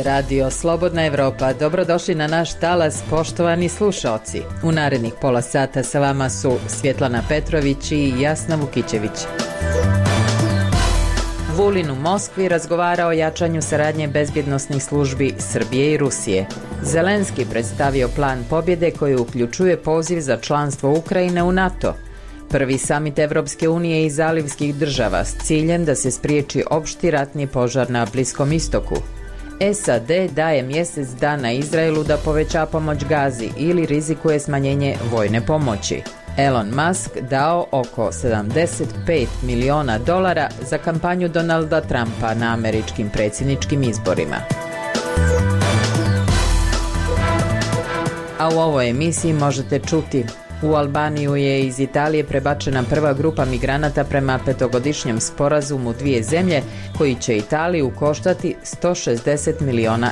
Radio Slobodna Evropa. Dobrodošli na naš talas, poštovani slušaoci. U narednih pola sata sa vama su Svjetlana Petrović i Jasna Vukićević. Vulin u Moskvi razgovara o jačanju saradnje bezbjednosnih službi Srbije i Rusije. Zelenski predstavio plan pobjede koji uključuje poziv za članstvo Ukrajine u NATO. Prvi samit Evropske unije i zalivskih država s ciljem da se spriječi opšti ratni požar na Bliskom istoku. SAD daje mjesec dana Izraelu da poveća pomoć Gazi ili rizikuje smanjenje vojne pomoći. Elon Musk dao oko $75 miliona za kampanju Donalda Trumpa na američkim predsjedničkim izborima. A u ovoj emisiji možete čuti: u Albaniju je iz Italije prebačena prva grupa migranata prema petogodišnjem sporazumu dvije zemlje koji će Italiju koštati €160 miliona.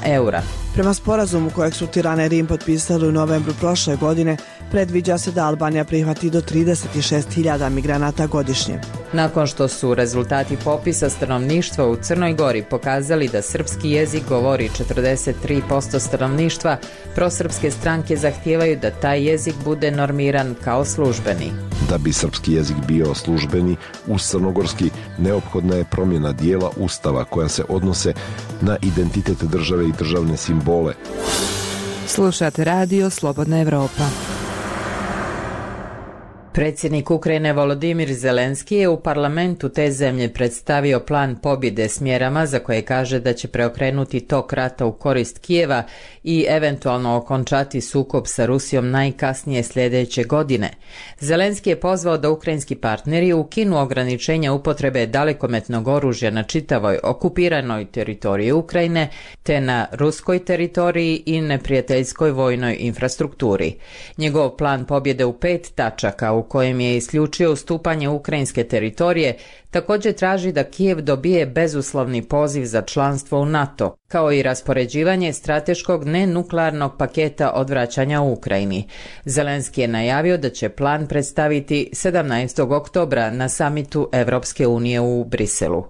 Prema sporazumu kojeg su Tirana i Rim potpisali u novembru prošle godine, predviđa se da Albanija prihvati do 36.000 migranata godišnje. Nakon što su rezultati popisa stanovništva u Crnoj Gori pokazali da srpski jezik govori 43% stanovništva, prosrpske stranke zahtijevaju da taj jezik bude normiran kao službeni. Da bi srpski jezik bio službeni, uz crnogorski neophodna je promjena dijela Ustava koja se odnose na identitet države i državne simbole. Slušate Radio Slobodna Evropa. Predsjednik Ukrajine Volodimir Zelenski je u parlamentu te zemlje predstavio plan pobjede s mjerama za koje kaže da će preokrenuti tok rata u korist Kijeva i eventualno okončati sukob sa Rusijom najkasnije sljedeće godine. Zelenski je pozvao da ukrajinski partneri ukinu ograničenja upotrebe dalekometnog oružja na čitavoj okupiranoj teritoriji Ukrajine te na ruskoj teritoriji i neprijateljskoj vojnoj infrastrukturi. Njegov plan pobjede u 5 tačaka u kojem je isključio ustupanje ukrajinske teritorije, također traži da Kijev dobije bezuslovni poziv za članstvo u NATO, kao i raspoređivanje strateškog nenuklearnog paketa odvraćanja u Ukrajini. Zelenski je najavio da će plan predstaviti 17. oktobra na samitu Evropske unije u Briselu.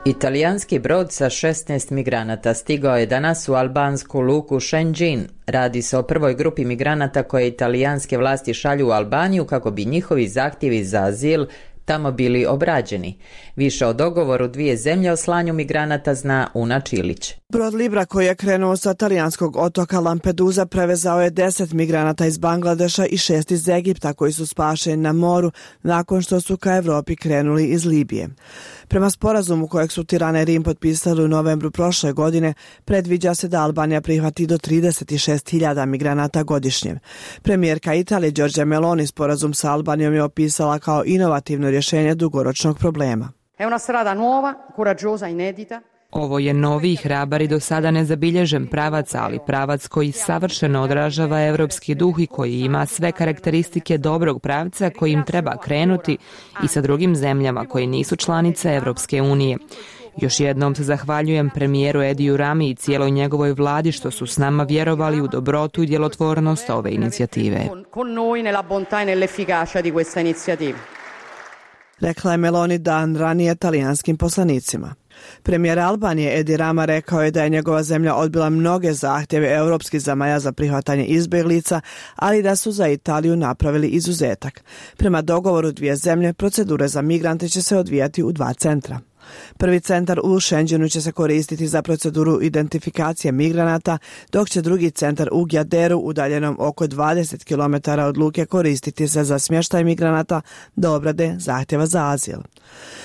Italijanski brod sa 16 migranata stigao je danas u albansku luku Šenđin. Radi se o prvoj grupi migranata koje italijanske vlasti šalju u Albaniju kako bi njihovi zahtjevi za azil tamo bili obrađeni. Više o dogovoru dvije zemlje o slanju migranata zna Una Čilić. Brod Libra koji je krenuo sa talijanskog otoka Lampedusa prevezao je 10 migranata iz Bangladeša i 6 iz Egipta koji su spašeni na moru nakon što su ka Evropi krenuli iz Libije. Prema sporazumu kojeg su Tirana i Rim potpisali u novembru prošle godine, predviđa se da Albanija prihvati do 36.000 migranata godišnje. Premijerka Italije Giorgia Meloni sporazum sa Albanijom je opisala kao inovativno rješenje dugoročnog problema. Ovo je novi i hrabar i do sada nezabilježen pravac, ali pravac koji savršeno odražava evropski duh i koji ima sve karakteristike dobrog pravca kojim treba krenuti i sa drugim zemljama koje nisu članice Evropske unije. Još jednom se zahvaljujem premijeru Ediju Rami i cijeloj njegovoj vladi što su s nama vjerovali u dobrotu i djelotvornost ove inicijative. Rekla je Meloni dan ranije talijanskim poslanicima. Premijer Albanije Edi Rama rekao je da je njegova zemlja odbila mnoge zahtjeve europskih zemalja za prihvatanje izbjeglica, ali da su za Italiju napravili izuzetak. Prema dogovoru dvije zemlje, procedure za migrante će se odvijati u 2 centra. Prvi centar u Šenđinu će se koristiti za proceduru identifikacije migranata, dok će drugi centar u Gjaderu, udaljenom oko 20 km od luke, koristiti se za smještaj migranata do obrade zahtjeva za azil.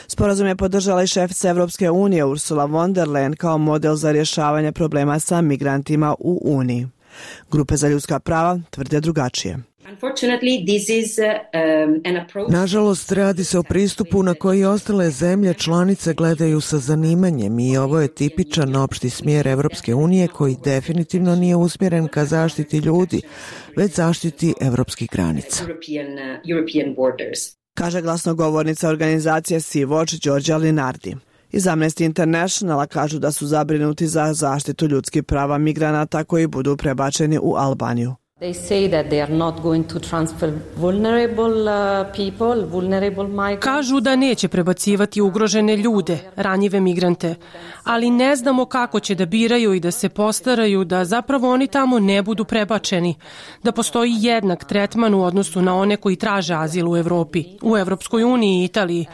Sporazum je podržala i šefica Evropske unije Ursula von der Leyen kao model za rješavanje problema sa migrantima u Uniji. Grupe za ljudska prava tvrde drugačije. Nažalost, radi se o pristupu na koji ostale zemlje članice gledaju sa zanimanjem i ovo je tipičan opšti smjer Evropske unije koji definitivno nije usmjeren ka zaštiti ljudi, već zaštiti evropskih granica. Kaže glasnogovornica organizacije Sea-Watch Giorgia Linardi. Iz Amnesty Internationala kažu da su zabrinuti za zaštitu ljudskih prava migranata koji budu prebačeni u Albaniju. Kažu da neće prebacivati ugrožene ljude, ranjive migrante, ali ne znamo kako će da biraju i da se postaraju da zapravo oni tamo ne budu prebačeni, da postoji jednak tretman u odnosu na one koji traže azil u Evropi, u Evropskoj uniji i Italiji.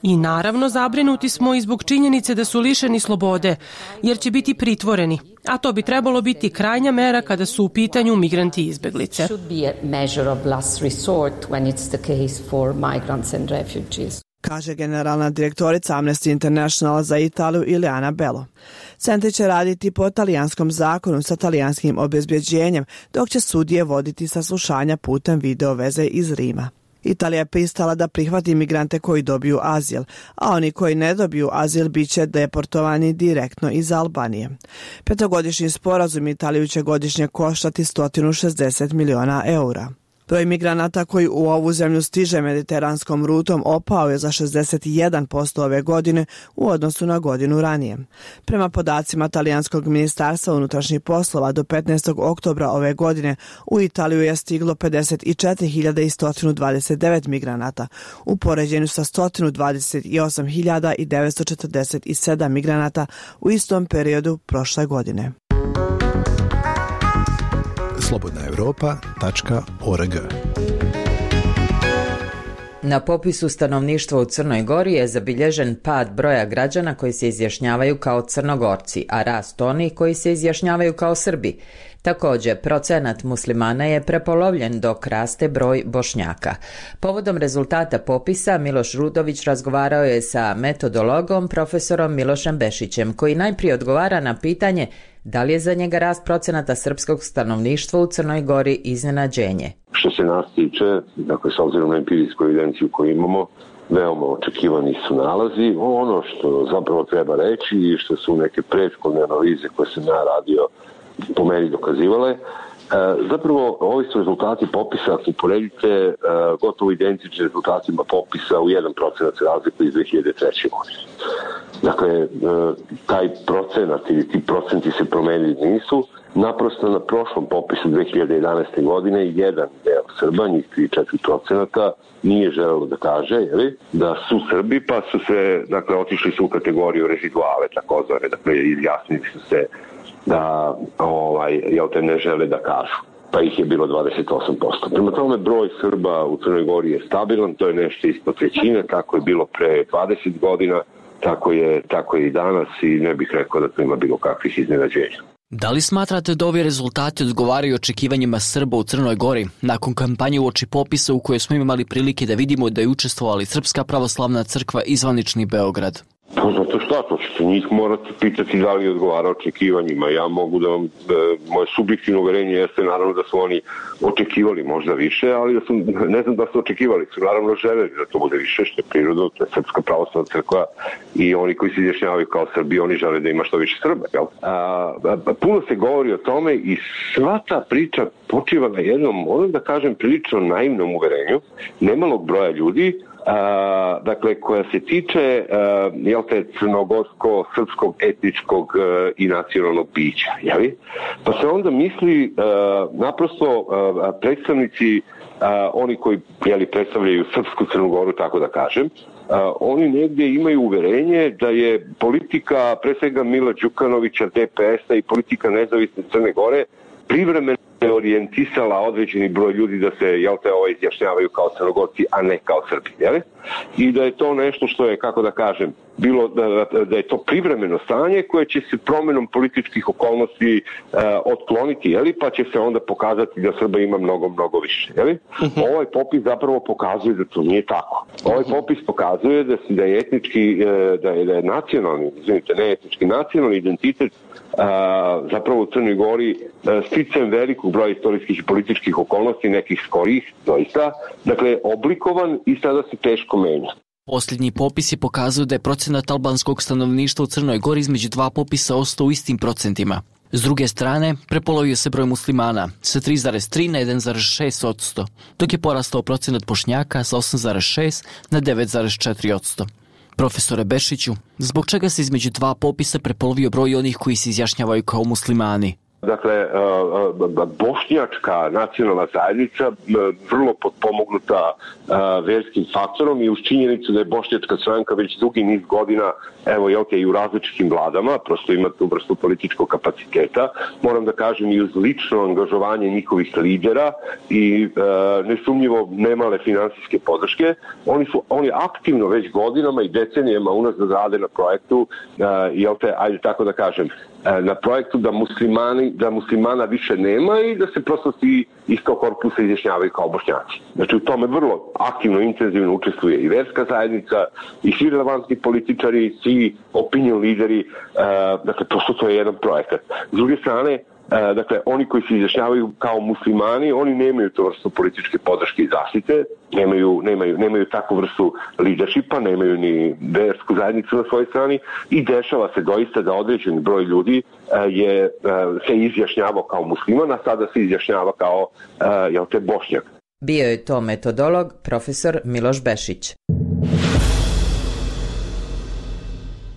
I naravno zabrinuti smo i zbog činjenice da su lišeni slobode, jer će biti pritvoreni, a to bi trebalo biti krajnja mera kada su u pitanju migranti i izbeglice. Kaže generalna direktorica Amnesty International za Italiju Ileana Bello. Centri će raditi po talijanskom zakonu sa talijanskim obezbjeđenjem, dok će sudije voditi saslušanja putem video veze iz Rima. Italija je pristala da prihvati migrante koji dobiju azil, a oni koji ne dobiju azil bit će deportovani direktno iz Albanije. 5-godišnji sporazum Italiju će godišnje koštati 160 miliona eura. Broj migranata koji u ovu zemlju stiže mediteranskom rutom opao je za 61% ove godine u odnosu na godinu ranije. Prema podacima Talijanskog ministarstva unutrašnjih poslova do 15. oktobra ove godine u Italiju je stiglo 54.129 migranata u poređenju sa 128.947 migranata u istom periodu prošle godine. slobodnaevropa.org. Na popisu stanovništva u Crnoj Gori je zabilježen pad broja građana koji se izjašnjavaju kao Crnogorci, a rast onih koji se izjašnjavaju kao Srbi. Također, procenat muslimana je prepolovljen dok raste broj Bošnjaka. Povodom rezultata popisa Miloš Rudović razgovarao je sa metodologom profesorom Milošem Bešićem, koji najprije odgovara na pitanje da li je za njega rast procenata srpskog stanovništva u Crnoj Gori iznenađenje. Što se nas tiče, dakle, s obzirom na empirijsku evidenciju koju imamo, veoma očekivani su nalazi. Ono što zapravo treba reći i što su neke prethodne analize koje sam ja radio po meni dokazivale, zapravo ovi su rezultati popisa, ako uporedite, gotovo identični rezultatima popisa u 1% razliku iz 2003. godine. Dakle, taj procenat ili ti procenti se promenili nisu. Naprosto na prošlom popisu 2011. godine jedan deo Srba, njih 3-4%, nije želelo da kaže da su Srbi, pa su se, dakle, otišli su u kategoriju reziduale, takozvane, dakle, izjasnili su se da ne žele da kažu, pa ih je bilo 28%. Prema tome, broj Srba u Crnoj Gori je stabilan, to je nešto ispod trećine, tako je bilo pre 20 godina, tako je i danas i ne bih rekao da to ima bilo kakvih iznenađenja. Da li smatrate da ovi rezultati odgovaraju očekivanjima Srba u Crnoj Gori nakon kampanje uoči popisa u kojoj smo imali prilike da vidimo da je učestvovala Srpska pravoslavna crkva i zvanični Beograd? Pa zato šta, to ćete njih morati pitati da li odgovara očekivanjima. Ja mogu da vam, moje subjektivno uverenje jeste naravno da su oni očekivali možda više, ali da su, ne znam da su očekivali, su naravno želeli da to bude više, što je prirodno, to je Srpska pravoslavna crkva i oni koji se izjašnjavaju kao Srbi, oni žele da ima što više Srba. Puno se govori o tome i sva ta priča počiva na jednom, da kažem, prilično naivnom uverenju nemalog broja ljudi, dakle, koja se tiče crnogorsko-srpskog etničkog i nacionalnog bića. Pa se onda misli naprosto predstavnici, oni koji predstavljaju Srpsku Crnu Goru, tako da kažem, oni negdje imaju uverenje da je politika pre svega Mila Đukanovića, DPS-a i politika nezavisne Crne Gore privremeno orijentisala određeni broj ljudi da se izjašnjavaju kao Crnogorci, a ne kao Srbi. I da je to nešto što je, kako da kažem, bilo da je to privremeno stanje koje će se promjenom političkih okolnosti otkloniti, pa će se onda pokazati da Srba ima mnogo više. Ovaj popis zapravo pokazuje da to nije tako. Ovaj popis pokazuje da je etnički, da je nacionalni, ne etnički, nacionalni identitet zapravo u Crnoj Gori sticajem velikog broja istorijskih i političkih okolnosti, nekih skorijih, doista, dakle, oblikovan i sada se teško menja. Posljednji popis je pokazao da je procenat albanskog stanovništva u Crnoj Gori između dva popisa ostao u istim procentima. S druge strane, prepolovio se broj muslimana sa 3,3 na 1,6%, dok je porastao procenat Bošnjaka sa 8,6 na 9,4%. Profesore Bešiću, zbog čega se između dva popisa prepolovio broj onih koji se izjašnjavaju kao muslimani? Dakle, bošnjačka nacionalna zajednica vrlo potpomognuta verskim faktorom i uz činjenicu da je bošnjačka stranka već dugi niz godina, evo i u različitim vladama, prosto ima tu vrstu političkog kapaciteta, moram da kažem i uz lično angažovanje njihovih lidera i nesumnjivo nemale finansijske podrške, oni aktivno već godinama i decenijama unazad rade na projektu, ajde tako da kažem, na projektu da muslimana više nema i da se prosto svi iz tog korpusa izjašnjavaju kao Bošnjaci. Znači u tome vrlo aktivno, intenzivno učestvuje i verska zajednica, i svi relevantni političari, svi opinion lideri, dakle prosto to je jedan projekat. S druge strane, dakle, oni koji se izjašnjavaju kao muslimani, oni nemaju tu vrstu političke podrške i zaštite, nemaju takvu vrstu leadershipa, nemaju ni versku zajednicu na svojoj strani i dešava se doista da određeni broj ljudi se izjašnjavao kao musliman, a sada se izjašnjava kao Bošnjak. Bio je to metodolog profesor Miloš Bešić.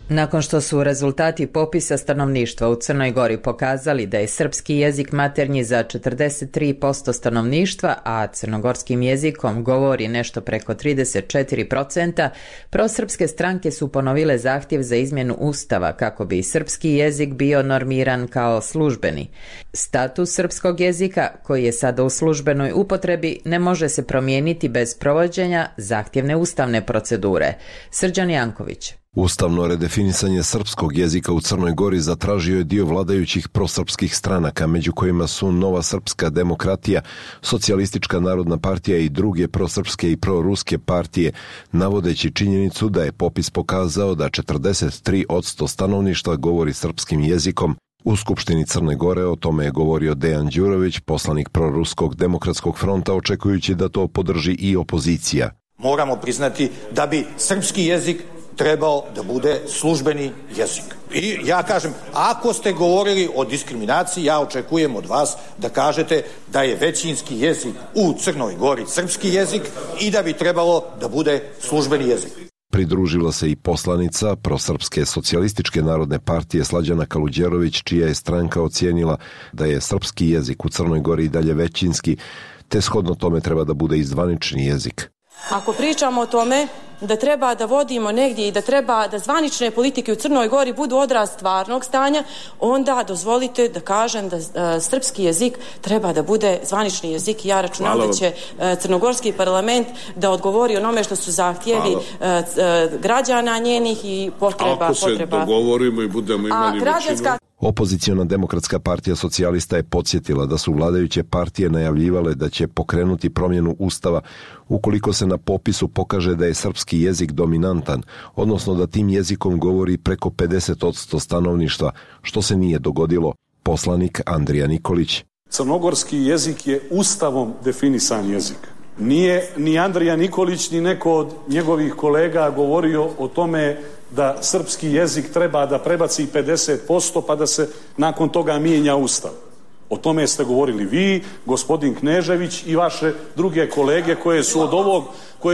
Nakon što su rezultati popisa stanovništva u Crnoj Gori pokazali da je srpski jezik maternji za 43% stanovništva, a crnogorskim jezikom govori nešto preko 34%, prosrpske stranke su ponovile zahtjev za izmjenu Ustava kako bi srpski jezik bio normiran kao službeni. Status srpskog jezika, koji je sada u službenoj upotrebi, ne može se promijeniti bez provođenja zahtjevne ustavne procedure. Srđan Janković. Ustavno redefinisanje srpskog jezika u Crnoj Gori zatražio je dio vladajućih prosrpskih stranaka, među kojima su Nova srpska demokratija, Socijalistička narodna partija i druge prosrpske i proruske partije, navodeći činjenicu da je popis pokazao da 43% stanovništva govori srpskim jezikom. U Skupštini Crne Gore o tome je govorio Dejan Đurović, poslanik proruskog demokratskog fronta, očekujući da to podrži i opozicija. Moramo priznati da bi srpski jezik trebao da bude službeni jezik. I ja kažem, ako ste govorili o diskriminaciji, ja očekujem od vas da kažete da je većinski jezik u Crnoj Gori srpski jezik i da bi trebalo da bude službeni jezik. Pridružila se i poslanica prosrpske Socijalističke narodne partije Slađana Kaluđerović, čija je stranka ocijenila da je srpski jezik u Crnoj Gori i dalje većinski, te shodno tome treba da bude i zvanični jezik. Ako pričamo o tome da treba da vodimo negdje i da treba da zvanične politike u Crnoj Gori budu odraz stvarnog stanja, onda dozvolite da kažem da srpski jezik treba da bude zvanični jezik i ja računam da će crnogorski parlament da odgovori onome što su zahtjevi građana njenih i potreba. Ako se dogovorimo i budemo imali većinu. Opoziciona demokratska partija socijalista je podsjetila da su vladajuće partije najavljivale da će pokrenuti promjenu Ustava ukoliko se na popisu pokaže da je srpski jezik dominantan, odnosno da tim jezikom govori preko 50% stanovništva, što se nije dogodilo. Poslanik Andrija Nikolić. Crnogorski jezik je ustavom definisan jezik. Nije ni Andrija Nikolić ni neko od njegovih kolega govorio o tome da srpski jezik treba da prebaci 50% pa da se nakon toga mijenja Ustav. O tome ste govorili vi, gospodin Knežević i vaše druge kolege koje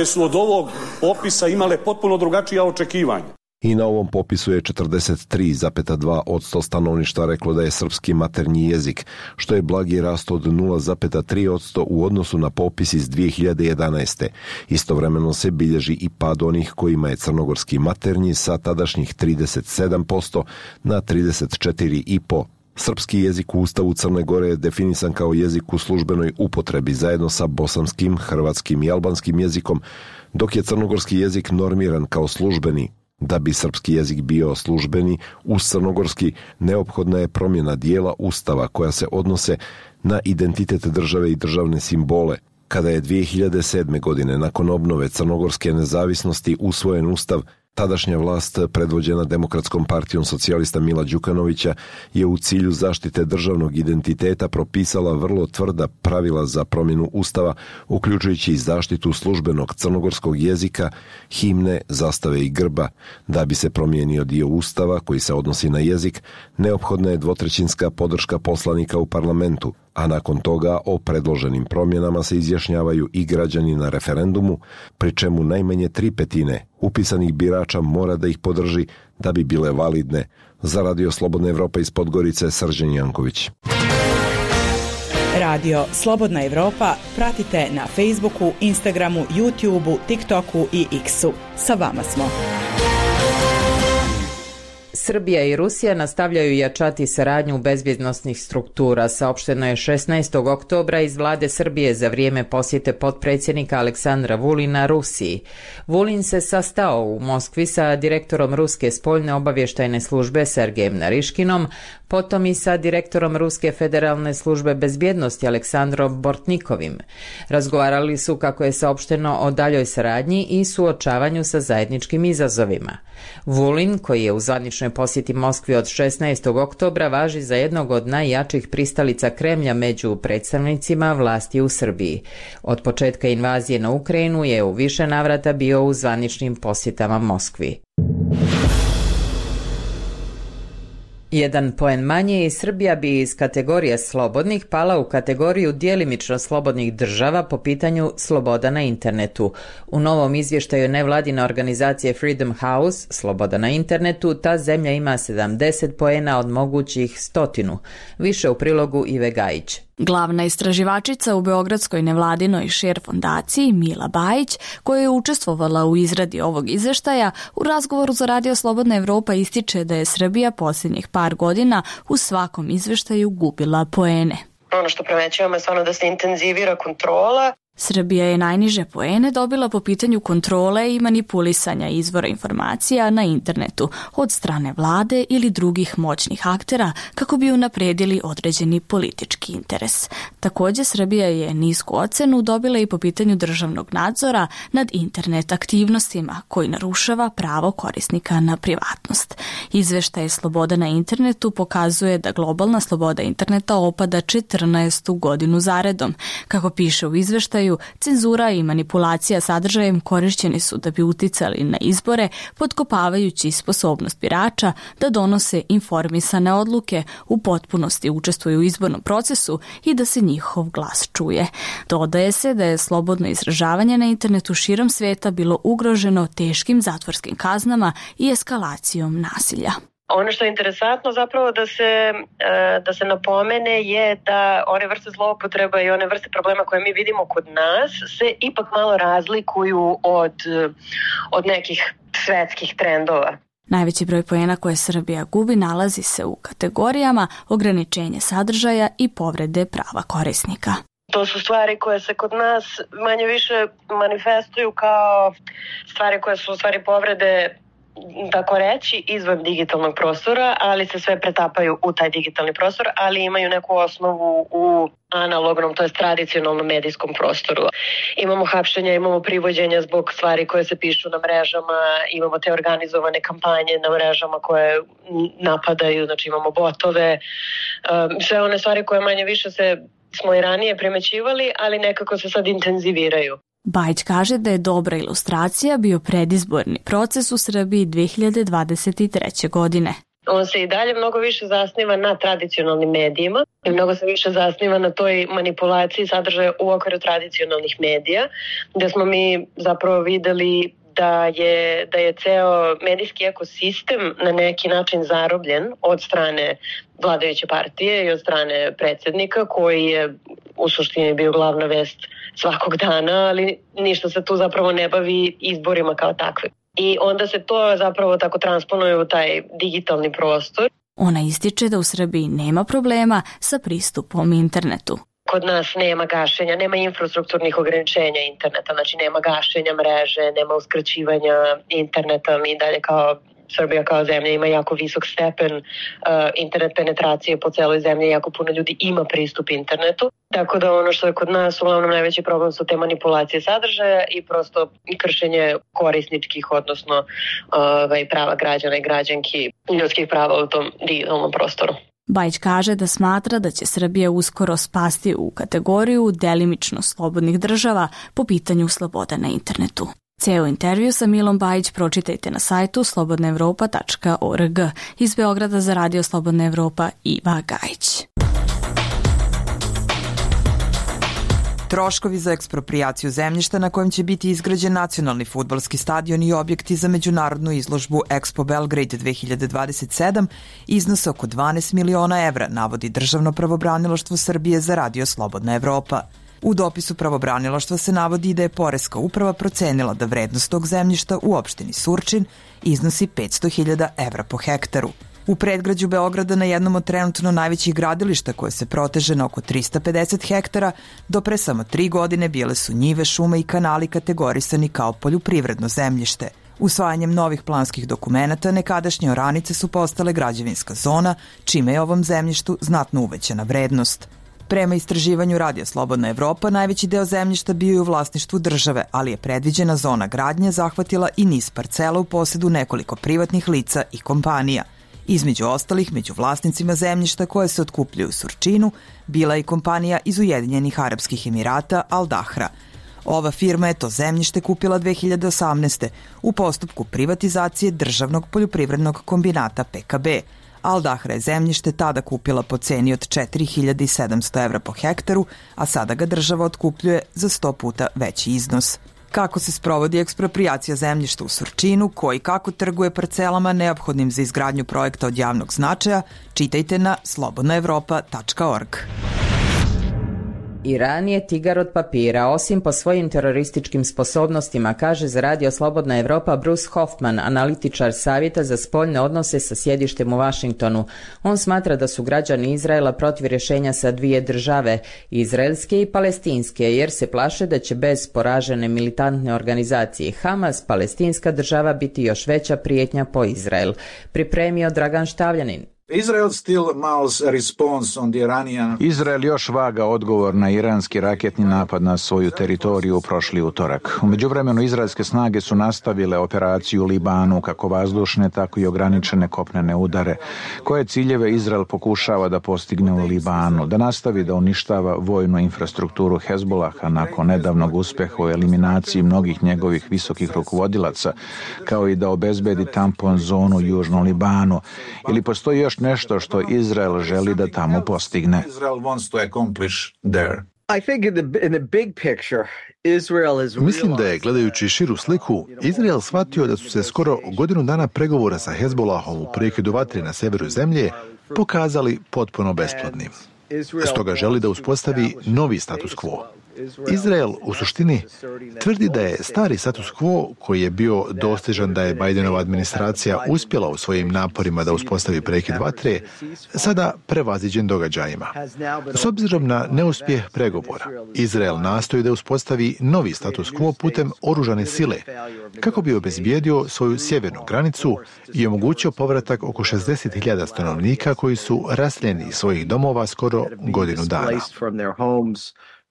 su od ovog popisa imale potpuno drugačija očekivanja. I na ovom popisu je 43,2% stanovništva reklo da je srpski maternji jezik, što je blagi rast od 0,3% u odnosu na popis iz 2011. Istovremeno se bilježi i pad onih kojima je crnogorski maternji sa tadašnjih 37% na 34,5%. Srpski jezik u Ustavu Crne Gore je definisan kao jezik u službenoj upotrebi zajedno sa bosanskim, hrvatskim i albanskim jezikom, dok je crnogorski jezik normiran kao službeni. Da bi srpski jezik bio službeni, uz crnogorski neophodna je promjena dijela Ustava koja se odnose na identitet države i državne simbole. Kada je 2007. godine nakon obnove crnogorske nezavisnosti usvojen Ustav, tadašnja vlast predvođena Demokratskom partijom socijalista Mila Đukanovića je u cilju zaštite državnog identiteta propisala vrlo tvrda pravila za promjenu Ustava, uključujući i zaštitu službenog crnogorskog jezika, himne, zastave i grba. Da bi se promijenio dio Ustava koji se odnosi na jezik, neophodna je dvotrećinska podrška poslanika u parlamentu, a nakon toga o predloženim promjenama se izjašnjavaju i građani na referendumu, pri čemu najmanje 3/5 upisanih birača mora da ih podrži da bi bile validne. Za Radio Slobodna Evropa iz Podgorice, Srđan Janković. Radio Slobodna Evropa pratite na Facebooku, Instagramu, YouTubeu, TikToku i X-u. Sa vama smo. Srbija i Rusija nastavljaju jačati saradnju bezbjednosnih struktura, saopšteno je 16. oktobra iz vlade Srbije za vrijeme posjete potpredsjednika Aleksandra Vulina Rusiji. Vulin se sastao u Moskvi sa direktorom Ruske spoljne obavještajne službe Sergejem Nariškinom, potom i sa direktorom Ruske federalne službe bezbjednosti Aleksandrom Bortnikovim. Razgovarali su, kako je saopšteno, o daljoj saradnji i suočavanju sa zajedničkim izazovima. Vulin, koji je u zvaničnoj posjeti Moskvi od 16. oktobra, važi za jednog od najjačih pristalica Kremlja među predstavnicima vlasti u Srbiji. Od početka invazije na Ukrajinu je u više navrata bio u zvaničnim posjetama Moskvi. Jedan poen manje i Srbija bi iz kategorije slobodnih pala u kategoriju djelimično slobodnih država po pitanju sloboda na internetu. U novom izvještaju nevladine organizacije Freedom House, sloboda na internetu, ta zemlja ima 70 poena od mogućih 100. Više u prilogu Ive Gajić. Glavna istraživačica u Beogradskoj nevladinoj Share fondaciji, Mila Bajić, koja je učestvovala u izradi ovog izveštaja, u razgovoru za Radio Slobodna Evropa ističe da je Srbija posljednjih par godina u svakom izveštaju gubila poene. Ono što primećujemo je stvarno da se intenzivira kontrola. Srbija je najniže poene dobila po pitanju kontrole i manipulisanja izvora informacija na internetu od strane vlade ili drugih moćnih aktera kako bi unapredili određeni politički interes. Također, Srbija je nisku ocenu dobila i po pitanju državnog nadzora nad internet aktivnostima koji narušava pravo korisnika na privatnost. Izveštaj Sloboda na internetu pokazuje da globalna sloboda interneta opada 14. godinu zaredom. Kako piše u izveštaju, cenzura i manipulacija sadržajem korišćeni su da bi uticali na izbore, potkopavajući sposobnost birača da donose informisane odluke, u potpunosti učestvuju u izbornom procesu i da se njihov glas čuje. Dodaje se da je slobodno izražavanje na internetu širom svijeta bilo ugroženo teškim zatvorskim kaznama i eskalacijom nasilja. Ono što je interesantno zapravo da se napomene je da one vrste zloupotreba i one vrste problema koje mi vidimo kod nas se ipak malo razlikuju od nekih svetskih trendova. Najveći broj poena koje Srbija gubi nalazi se u kategorijama ograničenje sadržaja i povrede prava korisnika. To su stvari koje se kod nas manje više manifestuju kao stvari koje su u stvari povrede, tako reći, izvan digitalnog prostora, ali se sve pretapaju u taj digitalni prostor, ali imaju neku osnovu u analognom, to jest tradicionalnom medijskom prostoru. Imamo hapšenja, imamo privođenja zbog stvari koje se pišu na mrežama, imamo te organizovane kampanje na mrežama koje napadaju, znači imamo botove, sve one stvari koje manje više smo i ranije primećivali, ali nekako se sad intenziviraju. Bajić kaže da je dobra ilustracija bio predizborni proces u Srbiji 2023. godine. On se i dalje mnogo više zasniva na tradicionalnim medijima i mnogo se više zasniva na toj manipulaciji sadržaja u okviru tradicionalnih medija, gdje smo mi zapravo videli da je ceo medijski ekosistem na neki način zarobljen od strane vladajuće partije i od strane predsjednika, koji je u suštini bio glavna vest svakog dana, ali ništa se tu zapravo ne bavi izborima kao takve. I onda se to zapravo tako transponuje u taj digitalni prostor. Ona ističe da u Srbiji nema problema sa pristupom internetu. Kod nas nema gašenja, nema infrastrukturnih ograničenja interneta, znači nema gašenja mreže, nema uskraćivanja interneta. Mi dalje kao Srbija kao zemlja ima jako visok stepen internet penetracije po celoj zemlji, jako puno ljudi ima pristup internetu. Tako da ono što je kod nas uglavnom najveći problem su te manipulacije sadržaja i prosto kršenje korisničkih, odnosno prava građana i građanki, ljudskih prava u tom digitalnom prostoru. Bajić kaže da smatra da će Srbija uskoro spasti u kategoriju delimično slobodnih država po pitanju sloboda na internetu. Ceo intervju sa Milom Bajić pročitajte na sajtu slobodnaevropa.org. Iz Beograda za Radio Slobodna Evropa, Iva Gajić. Troškovi za eksproprijaciju zemljišta na kojem će biti izgrađen nacionalni fudbalski stadion i objekti za međunarodnu izložbu Expo Belgrade 2027 iznose oko 12 miliona evra, navodi Državno pravobranilaštvo Srbije za Radio Slobodna Evropa. U dopisu pravobranilaštva se navodi da je Poreska uprava procenila da vrednost tog zemljišta u opštini Surčin iznosi 500.000 evra po hektaru. U predgrađu Beograda, na jednom od trenutno najvećih gradilišta koje se proteže na oko 350 hektara, do pre samo 3 godine bile su njive, šume i kanali kategorisani kao poljoprivredno zemljište. Usvajanjem novih planskih dokumenata nekadašnje oranice su postale građevinska zona, čime je ovom zemljištu znatno uvećana vrednost. Prema istraživanju Radija Slobodna Evropa, najveći deo zemljišta bio je u vlasništvu države, ali je predviđena zona gradnje zahvatila i niz parcela u posedu nekoliko privatnih lica i kompanija. Između ostalih, među vlasnicima zemljišta koje se otkupljuju u Surčinu, bila je i kompanija iz Ujedinjenih Arapskih Emirata Al Dahra. Ova firma je to zemljište kupila 2018. u postupku privatizacije državnog poljoprivrednog kombinata PKB. Al Dahra je zemljište tada kupila po ceni od 4.700 evra po hektaru, a sada ga država otkupljuje za 100 puta veći iznos. Kako se sprovodi eksproprijacija zemljišta u Surčinu, ko i kako trguje parcelama neophodnim za izgradnju projekta od javnog značaja, čitajte na slobodnaevropa.org. Iran je tigar od papira, osim po svojim terorističkim sposobnostima, kaže za Radio Slobodna Evropa Bruce Hoffman, analitičar Savjeta za spoljne odnose sa sjedištem u Vašingtonu. On smatra da su građani Izraela protiv rješenja sa dvije države, izraelske i palestinske, jer se plaše da će bez poražene militantne organizacije Hamas, palestinska država biti još veća prijetnja po Izrael. Pripremio Dragan Štavljanin. Izrael još vaga odgovor na iranski raketni napad na svoju teritoriju prošli utorak. U međuvremenu izraelske snage su nastavile operaciju u Libanu, kako vazdušne, tako i ograničene kopnene udare. Koje ciljeve Izrael pokušava da postigne u Libanu? Da nastavi da uništava vojnu infrastrukturu Hezbolaha nakon nedavnog uspeha u eliminaciji mnogih njegovih visokih rukovodilaca, kao i da obezbedi tampon zonu u Južnom Libanu. Ili postoji još nešto što Izrael želi da tamo postigne? Mislim da je, gledajući širu sliku, Izrael shvatio da su se skoro godinu dana pregovora sa Hezbolahom u prekidu vatre na severu zemlje pokazali potpuno besplodnim. Stoga želi da uspostavi novi status quo. Izrael u suštini tvrdi da je stari status quo, koji je bio dostižan da je Bidenova administracija uspjela u svojim naporima da uspostavi prekid vatre, sada prevaziđen događajima. S obzirom na neuspjeh pregovora, Izrael nastoji da uspostavi novi status quo putem oružane sile, kako bi obezbijedio svoju sjevernu granicu i omogućio povratak oko 60.000 stanovnika koji su raseljeni iz svojih domova skoro godinu dana.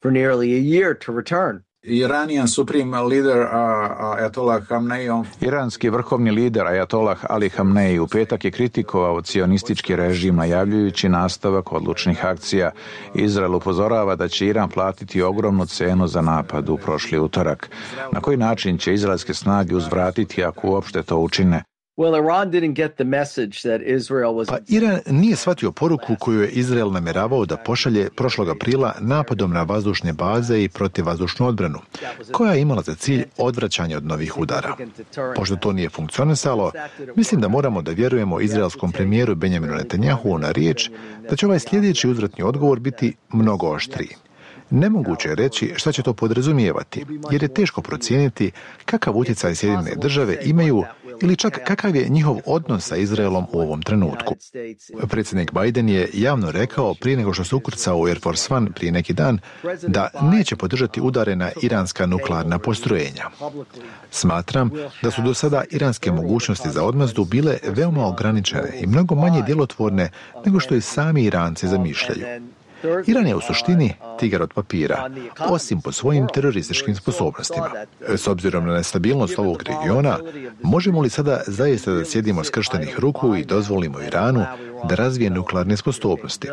For nearly a year to return. Iranski vrhovni lider Ajatollah Ali Hamneji u petak je kritikovao cionistički režim, najavljujući nastavak odlučnih akcija. Izrael upozorava da će Iran platiti ogromnu cenu za napad u prošli utorak. Na koji način će izraelske snage uzvratiti ako uopšte to učine? Pa Iran nije shvatio poruku koju je Izrael namjeravao da pošalje prošlog aprila napadom na vazdušne baze i protivvazdušnu odbranu, koja je imala za cilj odvraćanje od novih udara. Pošto to nije funkcionisalo, mislim da moramo da vjerujemo izraelskom premijeru Benjaminu Netanjahu na riječ da će ovaj sljedeći uzvratni odgovor biti mnogo oštriji. Nemoguće je reći šta će to podrazumijevati, jer je teško procijeniti kakav utjecaj Sjedinjene države imaju ili čak kakav je njihov odnos sa Izraelom u ovom trenutku. Predsjednik Biden je javno rekao prije nego što se ukrcao u Air Force One prije neki dan da neće podržati udare na iranska nuklearna postrojenja. Smatram da su do sada iranske mogućnosti za odmazdu bile veoma ograničene i mnogo manje djelotvorne nego što i sami Iranci zamišljaju. Iran je u suštini tigar od papira, osim po svojim terorističkim sposobnostima. S obzirom na nestabilnost ovog regiona, možemo li sada zaista da sjedimo skrštenih ruku i dozvolimo Iranu da razvije nuklearne sposobnosti?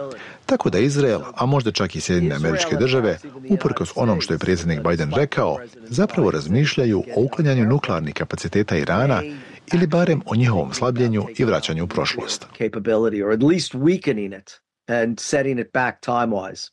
Tako da Izrael, a možda čak i Sjedinjene Američke Države, uprkos onom što je predsjednik Biden rekao, zapravo razmišljaju o uklanjanju nuklearnih kapaciteta Irana ili barem o njihovom slabljenju i vraćanju u prošlost. And setting it back time-wise.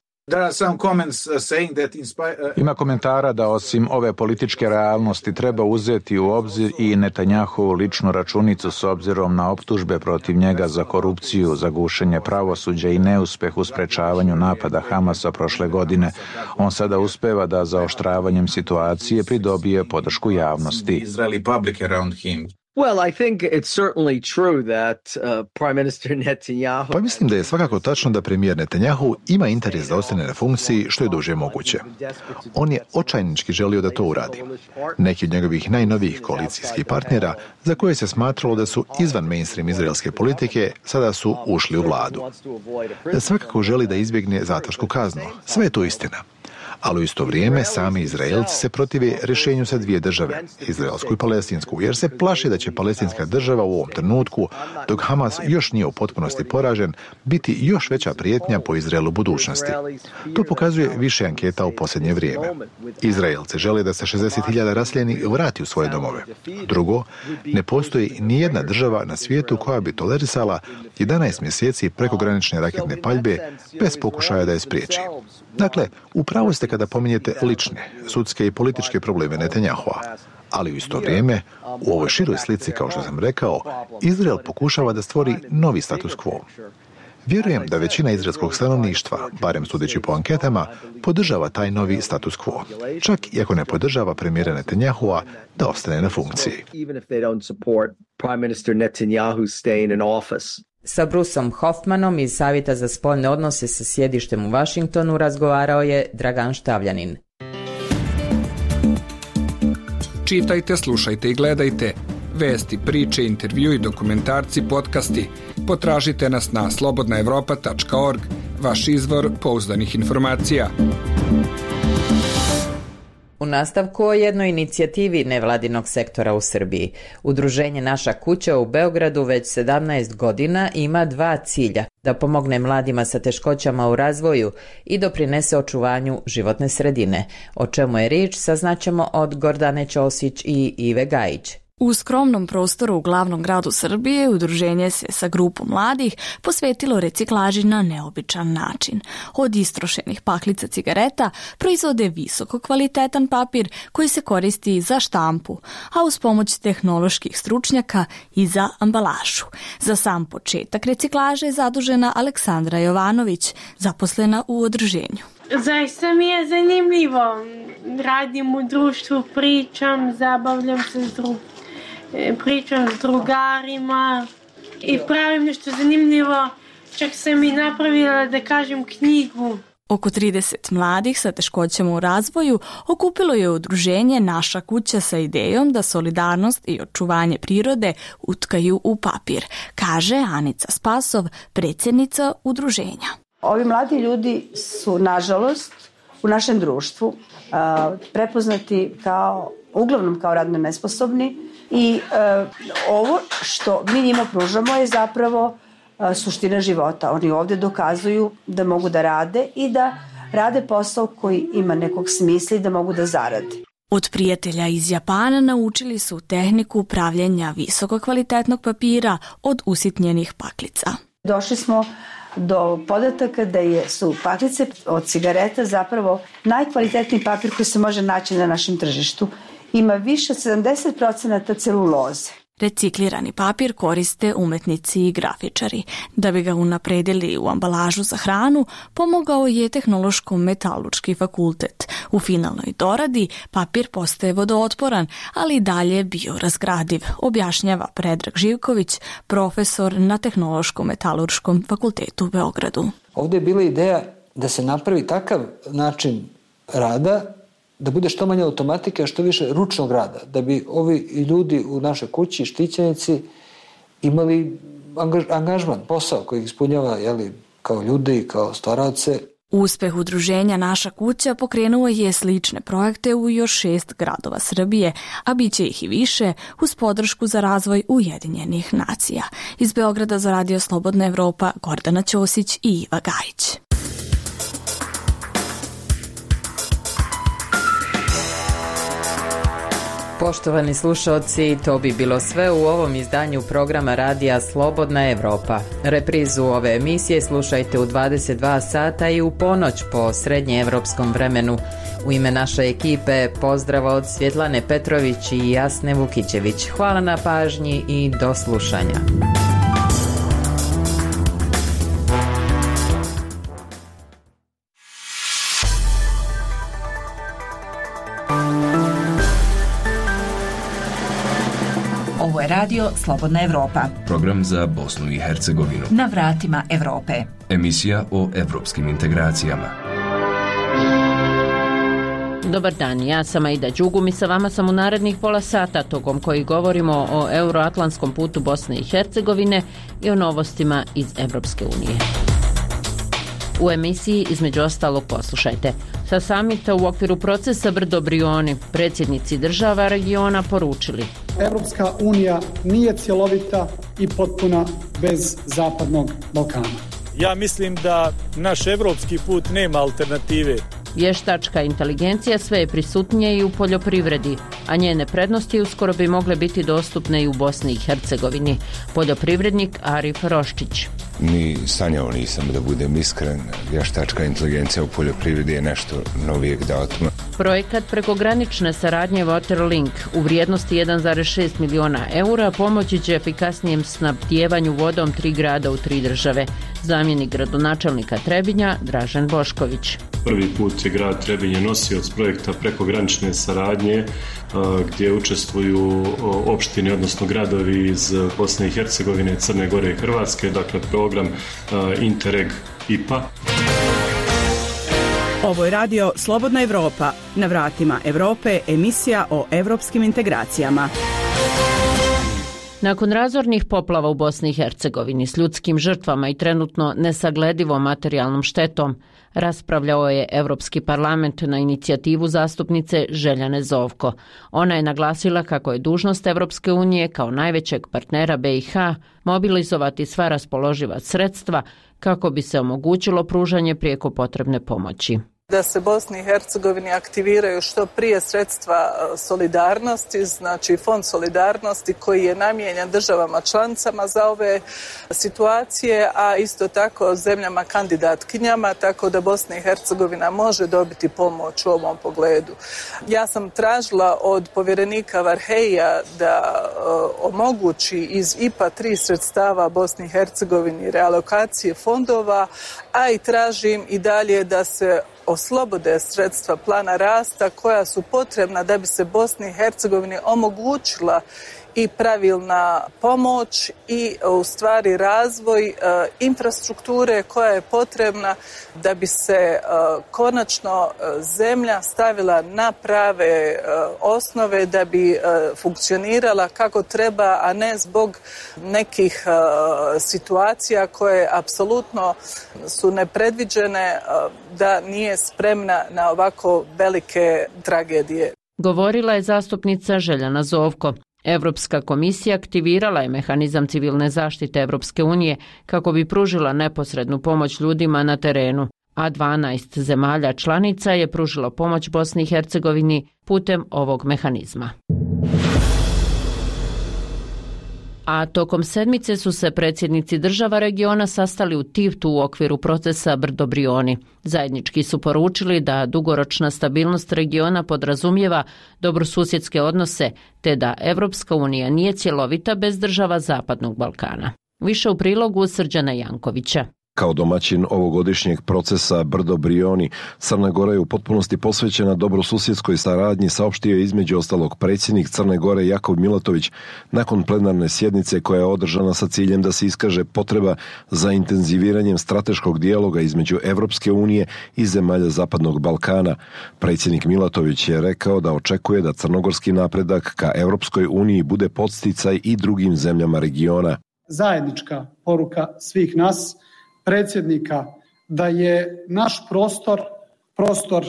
Ima komentara da osim ove političke realnosti treba uzeti u obzir i Netanjahovu ličnu računicu s obzirom na optužbe protiv njega za korupciju, za gušenje pravosuđa i neuspeh u sprečavanju napada Hamasa prošle godine. On sada uspeva da zaoštravanjem situacije pridobije podršku javnosti. Well, I think it's certainly true that Prime Minister Netanyahu... Pa mislim da je svakako tačno da premijer Netanjahu ima interes da ostane na funkciji što je duže moguće. On je očajnički želio da to uradi. Neki od njegovih najnovijih koalicijskih partnera, za koje se smatralo da su izvan mainstream izraelske politike, sada su ušli u vladu. Svakako želi da izbjegne zatvorsku kaznu. Sve je to istina. Ali u isto vrijeme sami Izraelci se protive rješenju sa dvije države, izraelsku i palestinsku, jer se plaše da će palestinska država u ovom trenutku, dok Hamas još nije u potpunosti poražen, biti još veća prijetnja po Izraelu budućnosti. To pokazuje više anketa u posljednje vrijeme. Izraelci žele da se 60.000 raseljenih vrati u svoje domove. Drugo, ne postoji nijedna država na svijetu koja bi tolerisala 11 mjeseci prekogranične raketne paljbe bez pokušaja da je spriječi. Dakle, upravo ste kada pominjete lične, sudske i političke probleme Netanjahua, ali u isto vrijeme, u ovoj široj slici, kao što sam rekao, Izrael pokušava da stvori novi status quo. Vjerujem da većina izraelskog stanovništva, barem sudeći po anketama, podržava taj novi status quo, čak i ako ne podržava premijera Netanjahua da ostane na funkciji. Sa Bruceom Hoffmanom iz Savjeta za spoljne odnose sa sjedištem u Washingtonu razgovarao je Dragan Štavljanin. Čitajte, slušajte i gledajte. Vesti, priče, intervjui, dokumentarci, podcasti. Potražite nas na slobodnaevropa.org, vaš izvor pouzdanih informacija. U nastavku o jednoj inicijativi nevladinog sektora u Srbiji. Udruženje Naša kuća u Beogradu već 17 godina ima dva cilja: da pomogne mladima sa teškoćama u razvoju i doprinese očuvanju životne sredine. O čemu je riječ saznaćemo od Gordane Ćosić i Ive Gajić. U skromnom prostoru u glavnom gradu Srbije udruženje se sa grupom mladih posvetilo reciklaži na neobičan način. Od istrošenih paklica cigareta proizvode visoko kvalitetan papir koji se koristi za štampu, a uz pomoć tehnoloških stručnjaka i za ambalažu. Za sam početak reciklaže je zadužena Aleksandra Jovanović, zaposlena u udruženju. Zaista mi je zanimljivo. Radim u društvu, pričam, zabavljam se pričam s drugarima i pravim nešto zanimljivo. Čak sam i napravila, da kažem, knjigu. Oko 30 mladih sa teškoćama u razvoju okupilo je udruženje Naša kuća sa idejom da solidarnost i očuvanje prirode utkaju u papir, kaže Anica Spasov, predsjednica udruženja. Ovi mladi ljudi su, nažalost, u našem društvu prepoznati uglavnom kao radno nesposobni i ovo što mi njima pružamo je zapravo suština života. Oni ovdje dokazuju da mogu da rade i da rade posao koji ima nekog smisla i da mogu da zarade. Od prijatelja iz Japana naučili su tehniku pravljenja visoko kvalitetnog papira od usitnjenih paklica. Došli smo do podataka da su paklice od cigareta zapravo najkvalitetniji papir koji se može naći na našem tržištu. Ima više od 70% celuloze. Reciklirani papir koriste umetnici i grafičari. Da bi ga unapredili u ambalažu za hranu, pomogao je Tehnološko-metalurški fakultet. U finalnoj doradi papir postaje vodootporan, ali i dalje biorazgradiv, objašnjava Predrag Živković, profesor na Tehnološko-metalurškom fakultetu u Beogradu. Ovdje je bila ideja da se napravi takav način rada da bude što manje automatike, a što više ručnog rada, da bi ovi ljudi u našoj kući, štićenici, imali angažman, posao koji ih ispunjava kao ljudi, kao stvaralce. Uspeh udruženja Naša kuća pokrenuo je slične projekte u još 6 gradova Srbije, a bit će ih i više uz podršku za razvoj Ujedinjenih nacija. Iz Beograda za Radio Slobodna Evropa, Gordana Ćosić i Iva Gajić. Poštovani slušalci, to bi bilo sve u ovom izdanju programa radija Slobodna Evropa. Reprizu ove emisije slušajte u 22 sata i u ponoć po srednjeevropskom vremenu. U ime naše ekipe pozdrav od Svjetlane Petrović i Jasne Vukićević. Hvala na pažnji i do slušanja. Ovo je radio Slobodna Evropa. Program za Bosnu i Hercegovinu. Na vratima Evrope. Emisija o evropskim integracijama. Dobar dan, ja sam Aida Đugum i sa vama sam u narednih pola sata tokom koji govorimo o euroatlantskom putu Bosne i Hercegovine i o novostima iz Evropske unije. U emisiji između ostalog poslušajte. Sa samita u okviru procesa Brdo Brioni predsjednici država regiona poručili: Evropska unija nije cjelovita i potpuna bez Zapadnog Balkana. Ja mislim da naš evropski put nema alternative. Vještačka inteligencija sve je prisutnije i u poljoprivredi, a njene prednosti uskoro bi mogle biti dostupne i u Bosni i Hercegovini. Poljoprivrednik Arif Roščić. Ni sanjao nisam, da budem iskren. Vještačka inteligencija u poljoprivredi je nešto novijeg datuma. Projekat prekogranične saradnje Waterlink u vrijednosti 1,6 miliona eura pomoći će efikasnijem snabdijevanju vodom 3 grada u 3 države. Zamjenik gradonačelnika Trebinja Dražen Bošković. Prvi put je grad Trebinje nosioc projekta prekogranične saradnje gdje učestvuju opštine, odnosno gradovi iz Bosne i Hercegovine, Crne Gore i Hrvatske, dakle program Interreg IPA. Ovo je radio Slobodna Evropa. Na vratima Evrope, emisija o evropskim integracijama. Nakon razornih poplava u Bosni i Hercegovini s ljudskim žrtvama i trenutno nesagledivom materijalnom štetom, raspravljao je Evropski parlament na inicijativu zastupnice Željane Zovko. Ona je naglasila kako je dužnost Evropske unije kao najvećeg partnera BiH mobilizovati sva raspoloživa sredstva kako bi se omogućilo pružanje prijeko potrebne pomoći. Da se Bosni i Hercegovini aktiviraju što prije sredstva solidarnosti, znači fond solidarnosti koji je namijenjen državama članicama za ove situacije, a isto tako zemljama kandidatkinjama, tako da Bosna i Hercegovina može dobiti pomoć u ovom pogledu. Ja sam tražila od povjerenika Varheija da omogući iz IPA 3 sredstava Bosni i Hercegovini realokacije fondova, a i tražim i dalje da se oslobode sredstva plana rasta koja su potrebna da bi se Bosni i Hercegovini omogućila i pravilna pomoć i u stvari razvoj infrastrukture koja je potrebna da bi se konačno zemlja stavila na prave osnove, da bi funkcionirala kako treba, a ne zbog nekih situacija koje apsolutno su nepredviđene, da nije spremna na ovako velike tragedije. Govorila je zastupnica Željana Zovko. Evropska komisija aktivirala je mehanizam civilne zaštite Evropske unije kako bi pružila neposrednu pomoć ljudima na terenu, a 12 zemalja članica je pružilo pomoć Bosni i Hercegovini putem ovog mehanizma. A tokom sedmice su se predsjednici država regiona sastali u Tivtu u okviru procesa Brdo Brioni. Zajednički su poručili da dugoročna stabilnost regiona podrazumijeva dobrosusjedske odnose, te da Evropska unija nije cjelovita bez država Zapadnog Balkana. Više u prilogu Srđana Jankovića. Kao domaćin ovogodišnjeg procesa Brdo Brioni, Crna Gora je u potpunosti posvećena dobrosusjedskoj saradnji, saopštio je između ostalog predsjednik Crne Gore Jakov Milatović nakon plenarne sjednice koja je održana sa ciljem da se iskaže potreba za intenziviranjem strateškog dijaloga između Evropske unije i zemalja Zapadnog Balkana. Predsjednik Milatović je rekao da očekuje da crnogorski napredak ka Evropskoj uniji bude podsticaj i drugim zemljama regiona. Zajednička poruka svih nas, predsjednika, da je naš prostor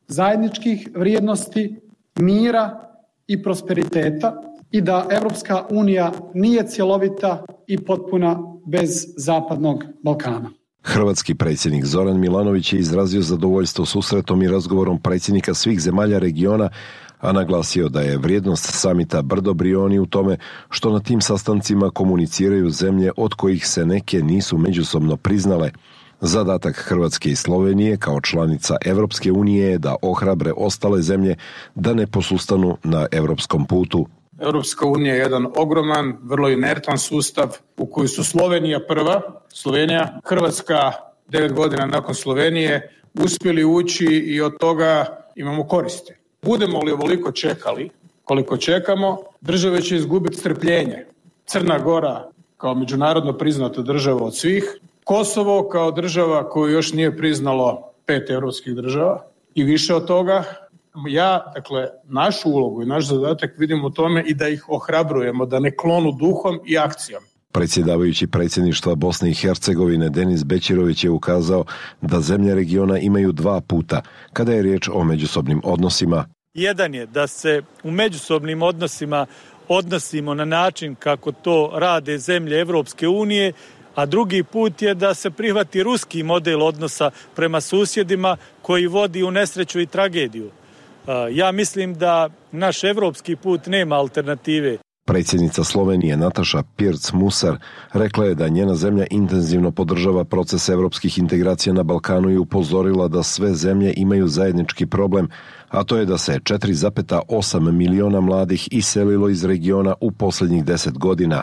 zajedničkih vrijednosti, mira i prosperiteta i da Evropska unija nije cjelovita i potpuna bez Zapadnog Balkana. Hrvatski predsjednik Zoran Milanović je izrazio zadovoljstvo susretom i razgovorom predsjednika svih zemalja regiona, a naglasio da je vrijednost samita Brdo Brioni u tome što na tim sastancima komuniciraju zemlje od kojih se neke nisu međusobno priznale. Zadatak Hrvatske i Slovenije kao članica Evropske unije je da ohrabre ostale zemlje da ne posustanu na europskom putu. Europska unija je jedan ogroman, vrlo inertan sustav u koji su Slovenija prva, Hrvatska 9 godina nakon Slovenije uspjeli ući i od toga imamo koristi. Budemo li ovoliko čekali, koliko čekamo, države će izgubiti strpljenje. Crna Gora kao međunarodno priznata država od svih, Kosovo kao država koju još nije priznalo 5 europskih država i više od toga. Našu ulogu i naš zadatak vidimo u tome i da ih ohrabrujemo, da ne klonu duhom i akcijom. Predsjedavajući predsjedništva Bosne i Hercegovine Denis Bećirović je ukazao da zemlje regiona imaju 2 puta kada je riječ o međusobnim odnosima. Jedan je da se u međusobnim odnosima odnosimo na način kako to rade zemlje Evropske unije, a drugi put je da se prihvati ruski model odnosa prema susjedima koji vodi u nesreću i tragediju. Ja mislim da naš evropski put nema alternative. Predsjednica Slovenije Nataša Pirc-Musar rekla je da njena zemlja intenzivno podržava proces evropskih integracija na Balkanu i upozorila da sve zemlje imaju zajednički problem, a to je da se 4,8 miliona mladih iselilo iz regiona u posljednjih 10 godina.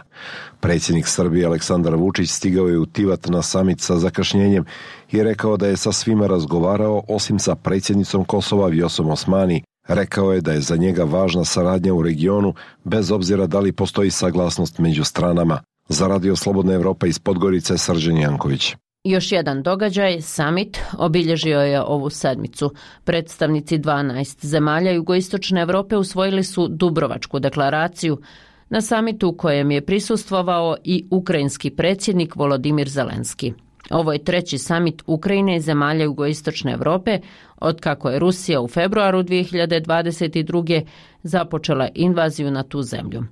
Predsjednik Srbije Aleksandar Vučić stigao je u Tivat na samit sa zakašnjenjem i rekao da je sa svima razgovarao osim sa predsjednicom Kosova Vjosom Osmani. Rekao je da je za njega važna saradnja u regionu, bez obzira da li postoji saglasnost među stranama. Za Radio Slobodna Evropa iz Podgorice, Srđan Janković. Još jedan događaj, summit, obilježio je ovu sedmicu. Predstavnici 12 zemalja jugoistočne Evrope usvojili su Dubrovačku deklaraciju na summitu u kojem je prisustvovao i ukrajinski predsjednik Volodimir Zelenski. Ovo je 3. summit Ukrajine i zemalja jugoistočne Evrope otkako je Rusija u februaru 2022. započela invaziju na tu zemlju.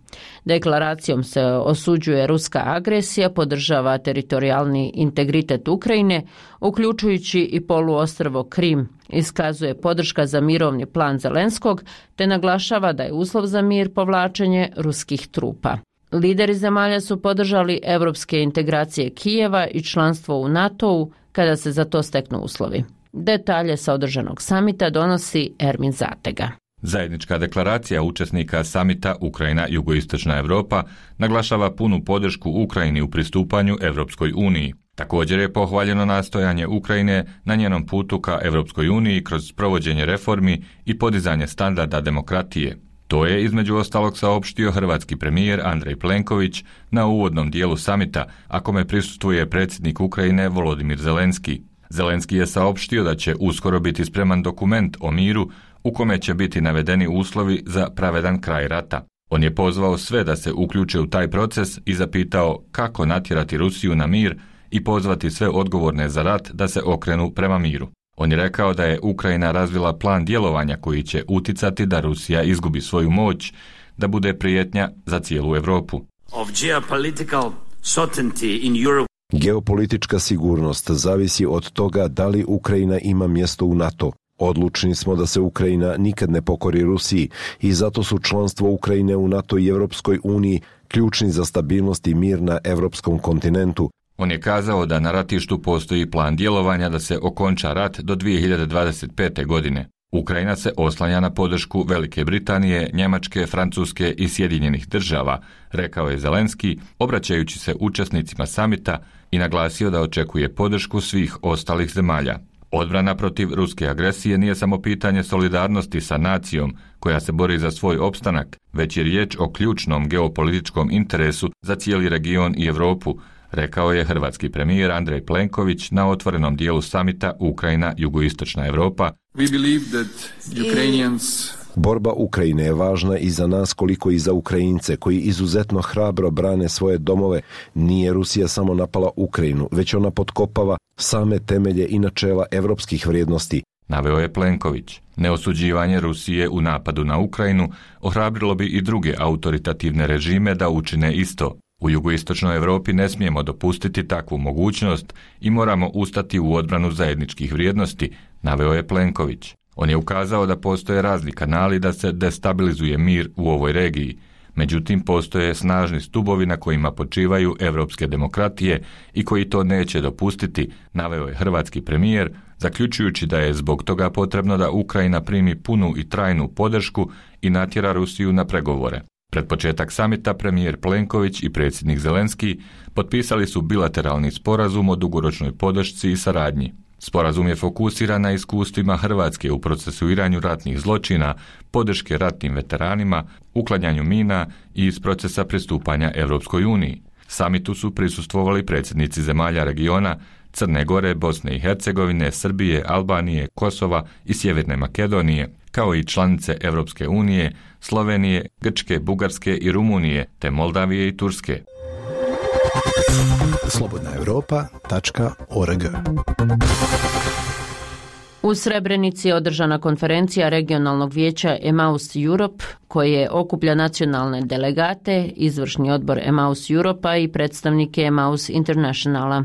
Deklaracijom se osuđuje ruska agresija, podržava teritorijalni integritet Ukrajine, uključujući i poluostrvo Krim, iskazuje podrška za mirovni plan Zelenskog, te naglašava da je uslov za mir povlačenje ruskih trupa. Lideri zemalja su podržali evropske integracije Kijeva i članstvo u NATO-u kada se za to steknu uslovi. Detalje sa održanog samita donosi Ermin Zatega. Zajednička deklaracija učesnika samita Ukrajina-Jugoistočna Europa naglašava punu podršku Ukrajini u pristupanju Evropskoj uniji. Također je pohvaljeno nastojanje Ukrajine na njenom putu ka Evropskoj uniji kroz provođenje reformi i podizanje standarda demokratije. To je između ostalog saopštio hrvatski premijer Andrej Plenković na uvodnom dijelu samita, a kome prisustvuje predsjednik Ukrajine Volodimir Zelenski. Zelenski je saopštio da će uskoro biti spreman dokument o miru u kome će biti navedeni uslovi za pravedan kraj rata. On je pozvao sve da se uključe u taj proces i zapitao kako natjerati Rusiju na mir i pozvati sve odgovorne za rat da se okrenu prema miru. On je rekao da je Ukrajina razvila plan djelovanja koji će uticati da Rusija izgubi svoju moć, da bude prijetnja za cijelu Europu. Geopolitička sigurnost zavisi od toga da li Ukrajina ima mjesto u NATO. Odlučni smo da se Ukrajina nikad ne pokori Rusiji i zato su članstvo Ukrajine u NATO i Europskoj uniji ključni za stabilnost i mir na europskom kontinentu. On je kazao da na ratištu postoji plan djelovanja da se okonča rat do 2025. godine. Ukrajina se oslanja na podršku Velike Britanije, Njemačke, Francuske i Sjedinjenih država, rekao je Zelenski, obraćajući se učesnicima samita i naglasio da očekuje podršku svih ostalih zemalja. Odbrana protiv ruske agresije nije samo pitanje solidarnosti sa nacijom koja se bori za svoj opstanak, već je riječ o ključnom geopolitičkom interesu za cijeli region i Europu, rekao je hrvatski premijer Andrej Plenković na otvorenom dijelu samita Ukrajina-Jugoistočna Europa. Borba Ukrajine je važna i za nas koliko i za Ukrajince koji izuzetno hrabro brane svoje domove. Nije Rusija samo napala Ukrajinu, već ona potkopava same temelje i načela evropskih vrijednosti, naveo je Plenković. Neosuđivanje Rusije u napadu na Ukrajinu ohrabrilo bi i druge autoritativne režime da učine isto. U jugoistočnoj Europi ne smijemo dopustiti takvu mogućnost i moramo ustati u odbranu zajedničkih vrijednosti, naveo je Plenković. On je ukazao da postoje razni kanali da se destabilizuje mir u ovoj regiji. Međutim, postoje snažni stubovi na kojima počivaju evropske demokratije i koji to neće dopustiti, naveo je hrvatski premijer, zaključujući da je zbog toga potrebno da Ukrajina primi punu i trajnu podršku i natjera Rusiju na pregovore. Pred početak samita premijer Plenković i predsjednik Zelenski potpisali su bilateralni sporazum o dugoročnoj podršci i saradnji. Sporazum je fokusiran na iskustvima Hrvatske u procesuiranju ratnih zločina, podrške ratnim veteranima, uklanjanju mina i iz procesa pristupanja Europskoj uniji. Samitu su prisustvovali predsjednici zemalja regiona Crne Gore, Bosne i Hercegovine, Srbije, Albanije, Kosova i Sjeverne Makedonije, kao i članice Europske unije, Slovenije, Grčke, Bugarske i Rumunije, te Moldavije i Turske. slobodnaevropa.org. U Srebrenici je održana konferencija regionalnog vijeća Emmaus Europe, koje okuplja nacionalne delegate, izvršni odbor Emmaus Europa i predstavnike Emmaus Internationala.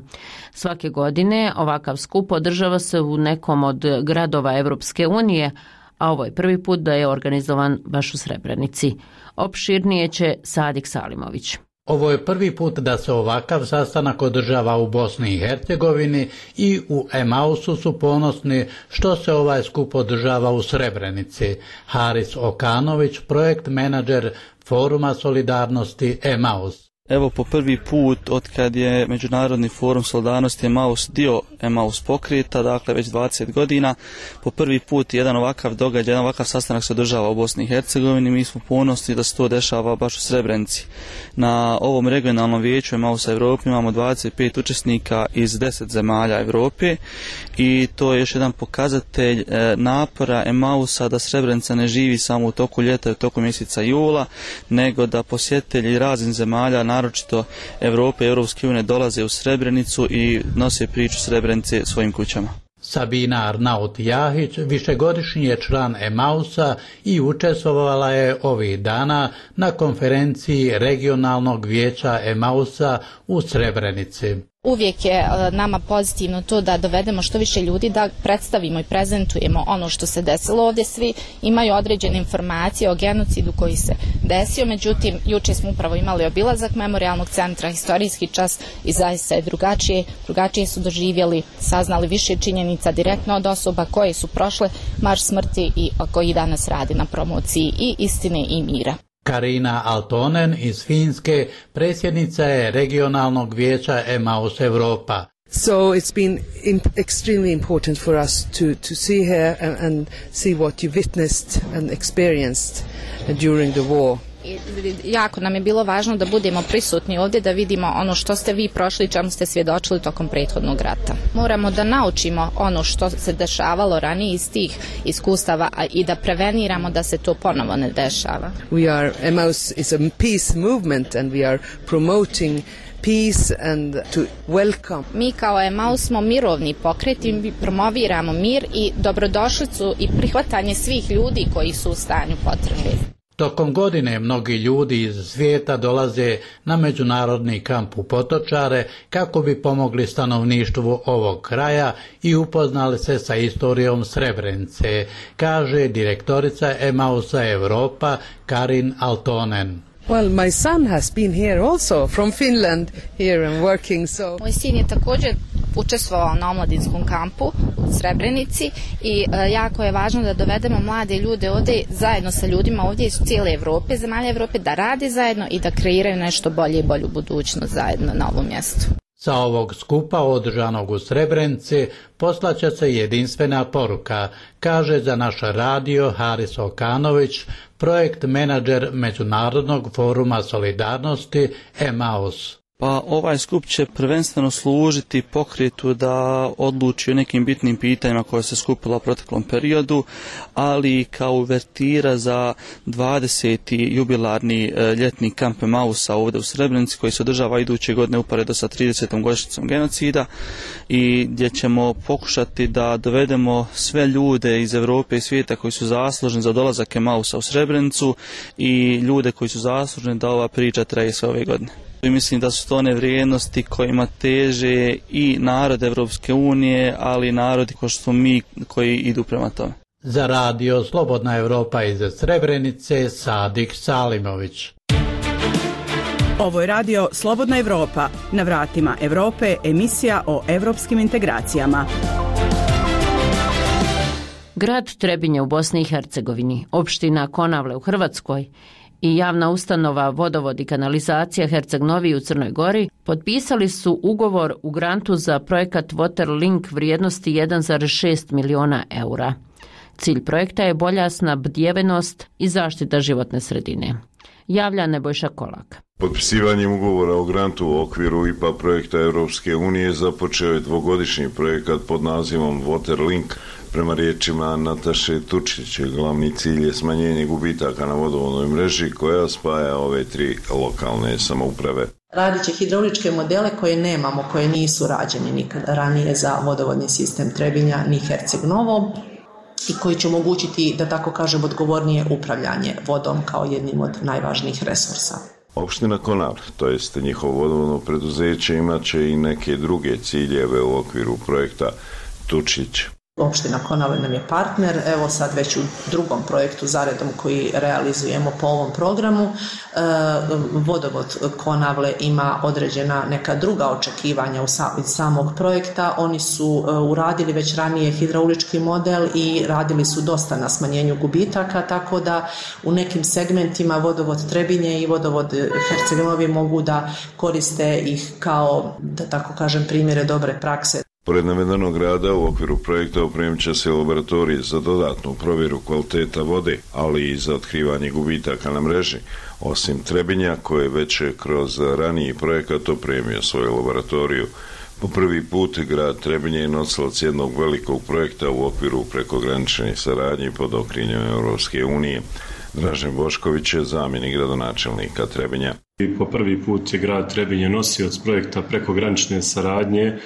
Svake godine ovakav skup održava se u nekom od gradova Evropske unije, a ovo je prvi put da je organizovan baš u Srebrenici. Opširnije će Sadik Salimović. Ovo je prvi put da se ovakav sastanak održava u Bosni i Hercegovini i u Emmausu su ponosni što se ovaj skup održava u Srebrenici. Haris Okanović, projekt menadžer Foruma solidarnosti Emmaus. Evo po prvi put od kad je Međunarodni forum solidarnosti Emmaus dio Emmaus pokreta, dakle već 20 godina, po prvi put jedan ovakav događaj, jedan ovakav sastanak se održava u Bosni i Hercegovini. Mi smo ponosni da se to dešava baš u Srebrenici. Na ovom regionalnom vijeću Emmausa Europe imamo 25 učesnika iz 10 zemalja Europe i to je još jedan pokazatelj napora Emmausa da Srebrenica ne živi samo u toku ljeta i u toku mjeseca jula, nego da posjetitelji raznih zemalja, naročito Europe i Europske unije, dolaze u Srebrenicu i nose priču Srebrenice svojim kućama. Sabina Arnaut-Jahić višegodišnji je član Emmausa i učestvovala je ovih dana na konferenciji regionalnog vijeća Emmausa u Srebrenici. Uvijek je nama pozitivno to da dovedemo što više ljudi, da predstavimo i prezentujemo ono što se desilo. Ovdje svi imaju određene informacije o genocidu koji se desio, međutim, juče smo upravo imali obilazak memorijalnog centra, historijski čas i zaista je drugačije su doživjeli, saznali više činjenica direktno od osoba koje su prošle marš smrti i koji danas radi na promociji i istine i mira. Karina Altonen iz Finske predsjednica je regionalnog vijeća Emmaus Europa. So it's been extremely important for us to see here and see what you witnessed and experienced during the war. Jako nam je bilo važno da budemo prisutni ovdje, da vidimo ono što ste vi prošli, čemu ste svjedočili tokom prethodnog rata. Moramo da naučimo ono što se dešavalo ranije iz tih iskustava i da preveniramo da se to ponovo ne dešava. Emmaus is a peace movement and we are promoting peace and to welcome. Mi kao Emmaus smo mirovni pokret i promoviramo mir i dobrodošlicu i prihvatanje svih ljudi koji su u stanju potrebe. Tokom godine mnogi ljudi iz svijeta dolaze na međunarodni kamp u Potočare kako bi pomogli stanovništvu ovog kraja i upoznali se sa istorijom Srebrenice, kaže direktorica Emmausa Europa Karin Altonen. Well, my son has been here also from Finland here and working so. Moj sin je također učestvovao na omladinskom kampu u Srebrenici i jako je važno da dovedemo mlade ljude ovdje zajedno sa ljudima ovdje iz cijele Europe, zemalja Europe, da rade zajedno i da kreiraju nešto bolje i bolju budućnost zajedno na ovom mjestu. Sa ovog skupa održanog u Srebrenici poslaće se jedinstvena poruka, kaže za naš radio Haris Okanović, projekt menadžer Međunarodnog foruma solidarnosti Emmaus. Pa ovaj skup će prvenstveno služiti pokretu da odluči o nekim bitnim pitanjima koje se skupilo u proteklom periodu, ali kao uvertira za 20. jubilarni ljetni kamp Emmausa ovdje u Srebrenici koji se održava iduće godine uporedo sa 30. godišnjicom genocida i gdje ćemo pokušati da dovedemo sve ljude iz Europe i svijeta koji su zaslužni za dolazak Emmausa u Srebrenicu i ljude koji su zaslužni da ova priča traje sve ove godine. I mislim da su to one vrijednosti kojima teže i narod Evropske unije, ali i narodi kao što smo mi koji idu prema tome. Za radio Slobodna Evropa iz Srebrenice, Sadik Salimović. Ovo je radio Slobodna Evropa, na vratima Evrope, emisija o evropskim integracijama. Grad Trebinje u Bosni i Hercegovini, opština Konavle u Hrvatskoj i javna ustanova Vodovod i kanalizacija Herceg Novi u Crnoj Gori potpisali su ugovor u grantu za projekat Waterlink vrijednosti 1,6 miliona eura. Cilj projekta je bolja snabdjevenost i zaštita životne sredine. Javlja Nebojša Kolak. Potpisivanjem ugovora o grantu u okviru IPA projekta Europske unije započeo je dvogodišnji projekat pod nazivom Waterlink. Prema riječima Nataše Tučić, glavni cilj je smanjenje gubitaka na vodovodnoj mreži koja spaja ove tri lokalne samouprave. Radit će hidrauličke modele koje nemamo, koje nisu rađeni nikada ranije za vodovodni sistem Trebinja ni Herceg Novo i koji će omogućiti, da tako kažem, odgovornije upravljanje vodom kao jednim od najvažnijih resursa. Opština Konavle, to jest njihovo vodovodno preduzeće, imat će i neke druge ciljeve u okviru projekta Tučić. Opština Konavle nam je partner, evo sad već u drugom projektu zaredom koji realizujemo po ovom programu. Vodovod Konavle ima određena neka druga očekivanja iz samog projekta. Oni su uradili već ranije hidraulički model i radili su dosta na smanjenju gubitaka, tako da u nekim segmentima vodovod Trebinje i vodovod Herceg Novi mogu da koriste ih kao, da tako kažem, primjere dobre prakse. Pored navedenog rada u okviru projekta opremit će se laboratorije za dodatnu provjeru kvaliteta vode, ali i za otkrivanje gubitaka na mreži. Osim Trebinja, koje već je kroz raniji projekat opremio svoju laboratoriju. Po prvi put grad Trebinje je nosilac jednog velikog projekta u okviru prekogranične saradnje pod okriljem Europske unije. Dražen Bošković je zamjenik gradonačelnika Trebinja. Po prvi put je grad Trebinje nosioc projekta prekogranične saradnje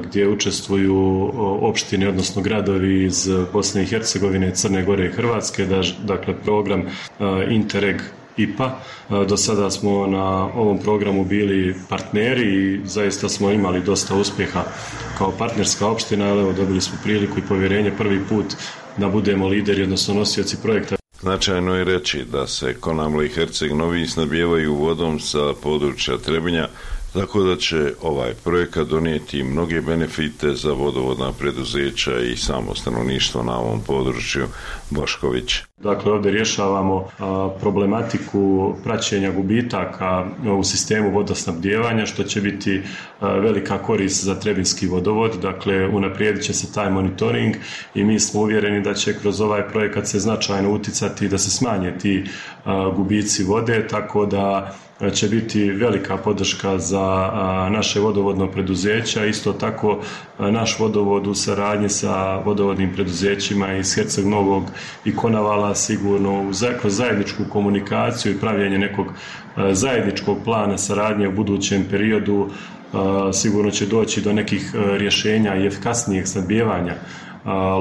gdje učestvuju opštine, odnosno gradovi iz Bosne i Hercegovine, Crne Gore i Hrvatske, dakle program Interreg IPA. Do sada smo na ovom programu bili partneri i zaista smo imali dosta uspjeha kao partnerska opština, ali evo dobili smo priliku i povjerenje prvi put da budemo lideri, odnosno nosioci projekta. Značajno je reći da se Konavle i Herceg Novi snabdijevaju vodom sa područja Trebinja, tako da će ovaj projekat donijeti mnoge benefite za vodovodna preduzeća i samo stanovništvo na ovom području. Bošković. Dakle, ovdje rješavamo problematiku praćenja gubitaka u sistemu vodosnabdijevanja, što će biti velika korist za Trebinski vodovod. Dakle, unaprijedit će se taj monitoring i mi smo uvjereni da će kroz ovaj projekat se značajno uticati da se smanje ti gubici vode, tako da će biti velika podrška za naše vodovodno preduzeća. Isto tako naš vodovod u saradnji sa vodovodnim preduzećima iz Herceg Novog i Konavala sigurno kroz zajedničku komunikaciju i pravljenje nekog zajedničkog plana saradnje u budućem periodu sigurno će doći do nekih rješenja i efikasnijeg snabdijevanja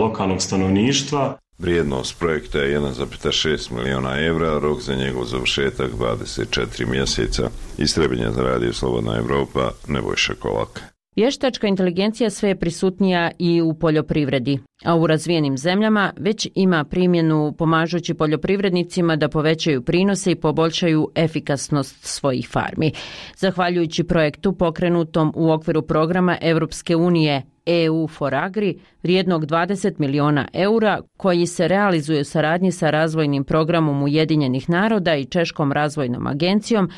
lokalnog stanovništva. Vrijednost projekta je 1,6 miliona evra, rok za njegov završetak 24 mjeseca. Iz Trebinja za radio Slobodna Evropa, Nebojša Kolak. Vještačka inteligencija sve je prisutnija i u poljoprivredi, a u razvijenim zemljama već ima primjenu pomažući poljoprivrednicima da povećaju prinose i poboljšaju efikasnost svojih farmi. Zahvaljujući projektu pokrenutom u okviru programa Europske unije EU for Agri, vrijednog 20 miliona eura, koji se realizuje u saradnji sa razvojnim programom Ujedinjenih naroda i Češkom razvojnom agencijom,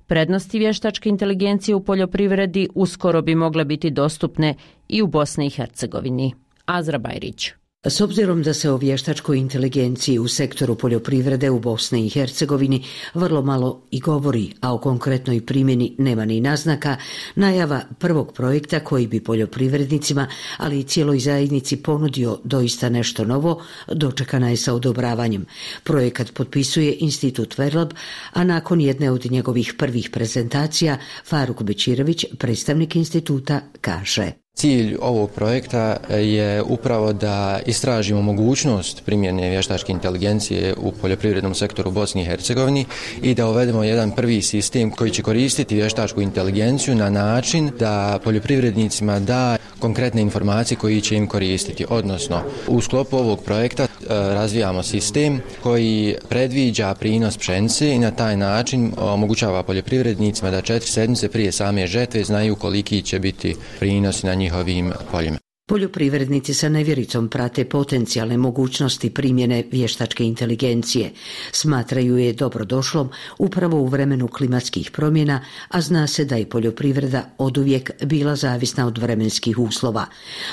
prednosti vještačke inteligencije u poljoprivredi uskoro bi mogle biti dostupne i u Bosni i Hercegovini. Azra Bajrić. S obzirom da se o vještačkoj inteligenciji u sektoru poljoprivrede u Bosni i Hercegovini vrlo malo i govori, a o konkretnoj primjeni nema ni naznaka, najava prvog projekta koji bi poljoprivrednicima, ali i cijeloj zajednici ponudio doista nešto novo, dočekana je sa odobravanjem. Projekat potpisuje Institut Verlab, a nakon jedne od njegovih prvih prezentacija, Faruk Bečirović, predstavnik instituta, kaže: Cilj ovog projekta je upravo da istražimo mogućnost primjene vještačke inteligencije u poljoprivrednom sektoru Bosni i Hercegovini i da uvedemo jedan prvi sistem koji će koristiti vještačku inteligenciju na način da poljoprivrednicima da konkretne informacije koji će im koristiti. Odnosno, u sklopu ovog projekta razvijamo sistem koji predviđa prinos pšenice i na taj način omogućava poljoprivrednicima da 4 sedmice prije same žetve znaju koliki će biti prinos na njihovim poljima. Poljoprivrednici sa nevjericom prate potencijalne mogućnosti primjene vještačke inteligencije. Smatraju je dobrodošlom upravo u vremenu klimatskih promjena, a zna se da je poljoprivreda oduvijek bila zavisna od vremenskih uslova.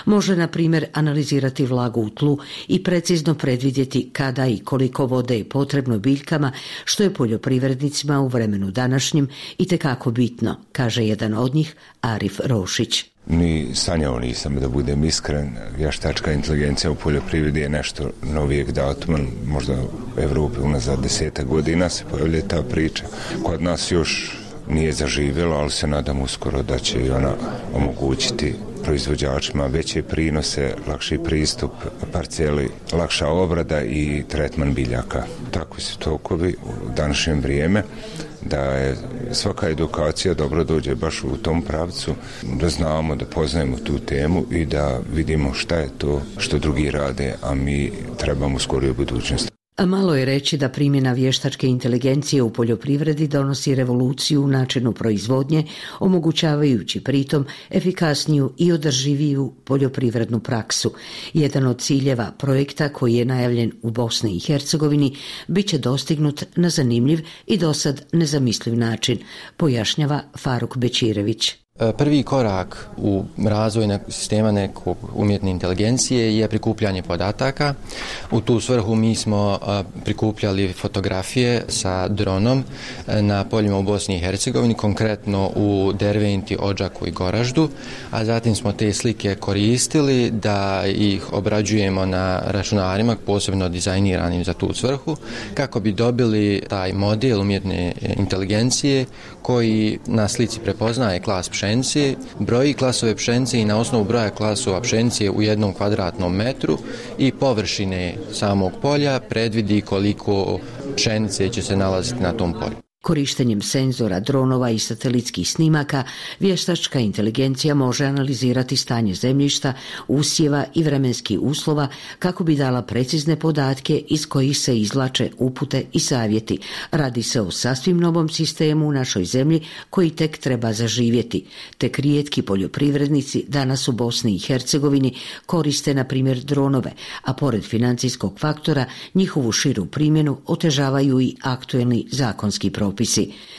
Može, na primjer, analizirati vlagu u tlu i precizno predvidjeti kada i koliko vode je potrebno biljkama, što je poljoprivrednicima u vremenu današnjim itekako bitno, kaže jedan od njih, Arif Rošić. Ni sanjao nisam, da budem iskren. Vještačka inteligencija u poljoprivredi je nešto novijeg datuma, možda u Evropi unazad 10 godina se pojavlja ta priča. Kod nas još nije zaživjela, ali se nadam uskoro da će i ona omogućiti proizvođačima veće prinose, lakši pristup parceli, lakša obrada i tretman biljaka. Takvi su tokovi u današnjem vrijeme, da je svaka edukacija dobro dođe baš u tom pravcu, da znamo, da poznajemo tu temu i da vidimo šta je to što drugi rade, a mi trebamo skoriju budućnost. A malo je reći da primjena vještačke inteligencije u poljoprivredi donosi revoluciju u načinu proizvodnje, omogućavajući pritom efikasniju i održiviju poljoprivrednu praksu. Jedan od ciljeva projekta, koji je najavljen u Bosni i Hercegovini, bit će dostignut na zanimljiv i dosad nezamisliv način, pojašnjava Faruk Bečirević. Prvi korak u razvoju sistema nekog umjetne inteligencije je prikupljanje podataka. U tu svrhu mi smo prikupljali fotografije sa dronom na poljima u Bosni i Hercegovini, konkretno u Derventi, Odžaku i Goraždu, a zatim smo te slike koristili da ih obrađujemo na računarima, posebno dizajniranim za tu svrhu, kako bi dobili taj model umjetne inteligencije koji na slici prepoznaje klas pšenice, broji klasove pšenice i na osnovu broja klasova pšenice u 1 kvadratnom metru i površine samog polja predvidi koliko pšenice će se nalaziti na tom polju. Korištenjem senzora, dronova i satelitskih snimaka, vještačka inteligencija može analizirati stanje zemljišta, usjeva i vremenskih uslova kako bi dala precizne podatke iz kojih se izvlače upute i savjeti. Radi se o sasvim novom sistemu u našoj zemlji koji tek treba zaživjeti. Tek rijetki poljoprivrednici danas u Bosni i Hercegovini koriste, na primjer, dronove, a pored financijskog faktora njihovu širu primjenu otežavaju i aktuelni zakonski propisi.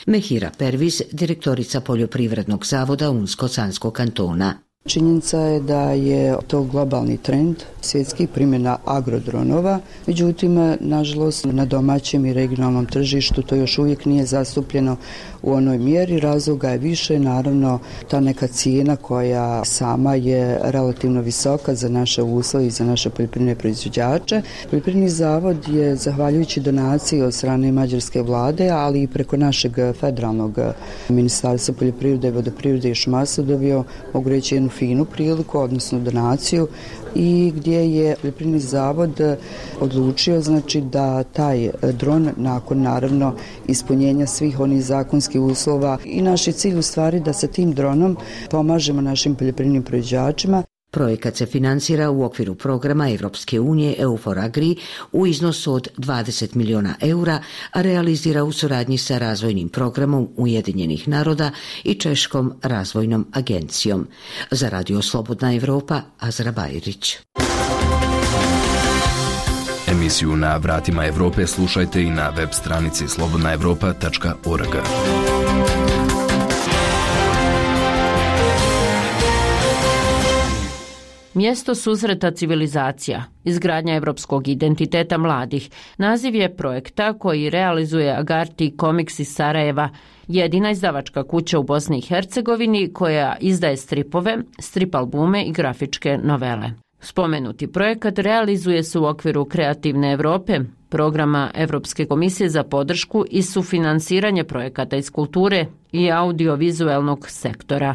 Mehira Perviz, direktorica Poljoprivrednog zavoda Unsko-Sanskog kantona. Činjenica je da je to globalni trend svjetskih primjena agrodronova, međutim, nažalost, na domaćem i regionalnom tržištu to još uvijek nije zastupljeno u onoj mjeri. Razloga je više, naravno, ta neka cijena koja sama je relativno visoka za naše uslove i za naše poljoprivredne proizvođače. Poljoprivredni zavod je, zahvaljujući donaciji od strane mađarske vlade, ali i preko našeg federalnog ministarstva poljoprivrede, vodoprivrede i šumarstva dobio, mogu reći, jednu finu priliku, odnosno donaciju, i gdje je poljoprivredni zavod odlučio, znači, da taj dron, nakon naravno ispunjenja svih onih zakonskih uslova, i naš je cilj u stvari da sa tim dronom pomažemo našim poljoprivrednim proizvođačima. Projekat se financira u okviru programa Evropske unije EU4Agri u iznosu od 20 milijuna eura, a realizira u suradnji sa razvojnim programom Ujedinjenih naroda i Češkom razvojnom agencijom. Za Radio Slobodna Evropa, Azra Bajrić. Emisiju Na vratima Evrope slušajte i na web stranici slobodnaevropa.org. Mjesto susreta civilizacija, izgradnja evropskog identiteta mladih, naziv je projekta koji realizuje Agarty Comics iz Sarajeva, jedina izdavačka kuća u Bosni i Hercegovini koja izdaje stripove, strip albume i grafičke novele. Spomenuti projekat realizuje se u okviru Kreativne Evrope, programa Evropske komisije za podršku i sufinansiranje projekata iz kulture i audiovizualnog sektora.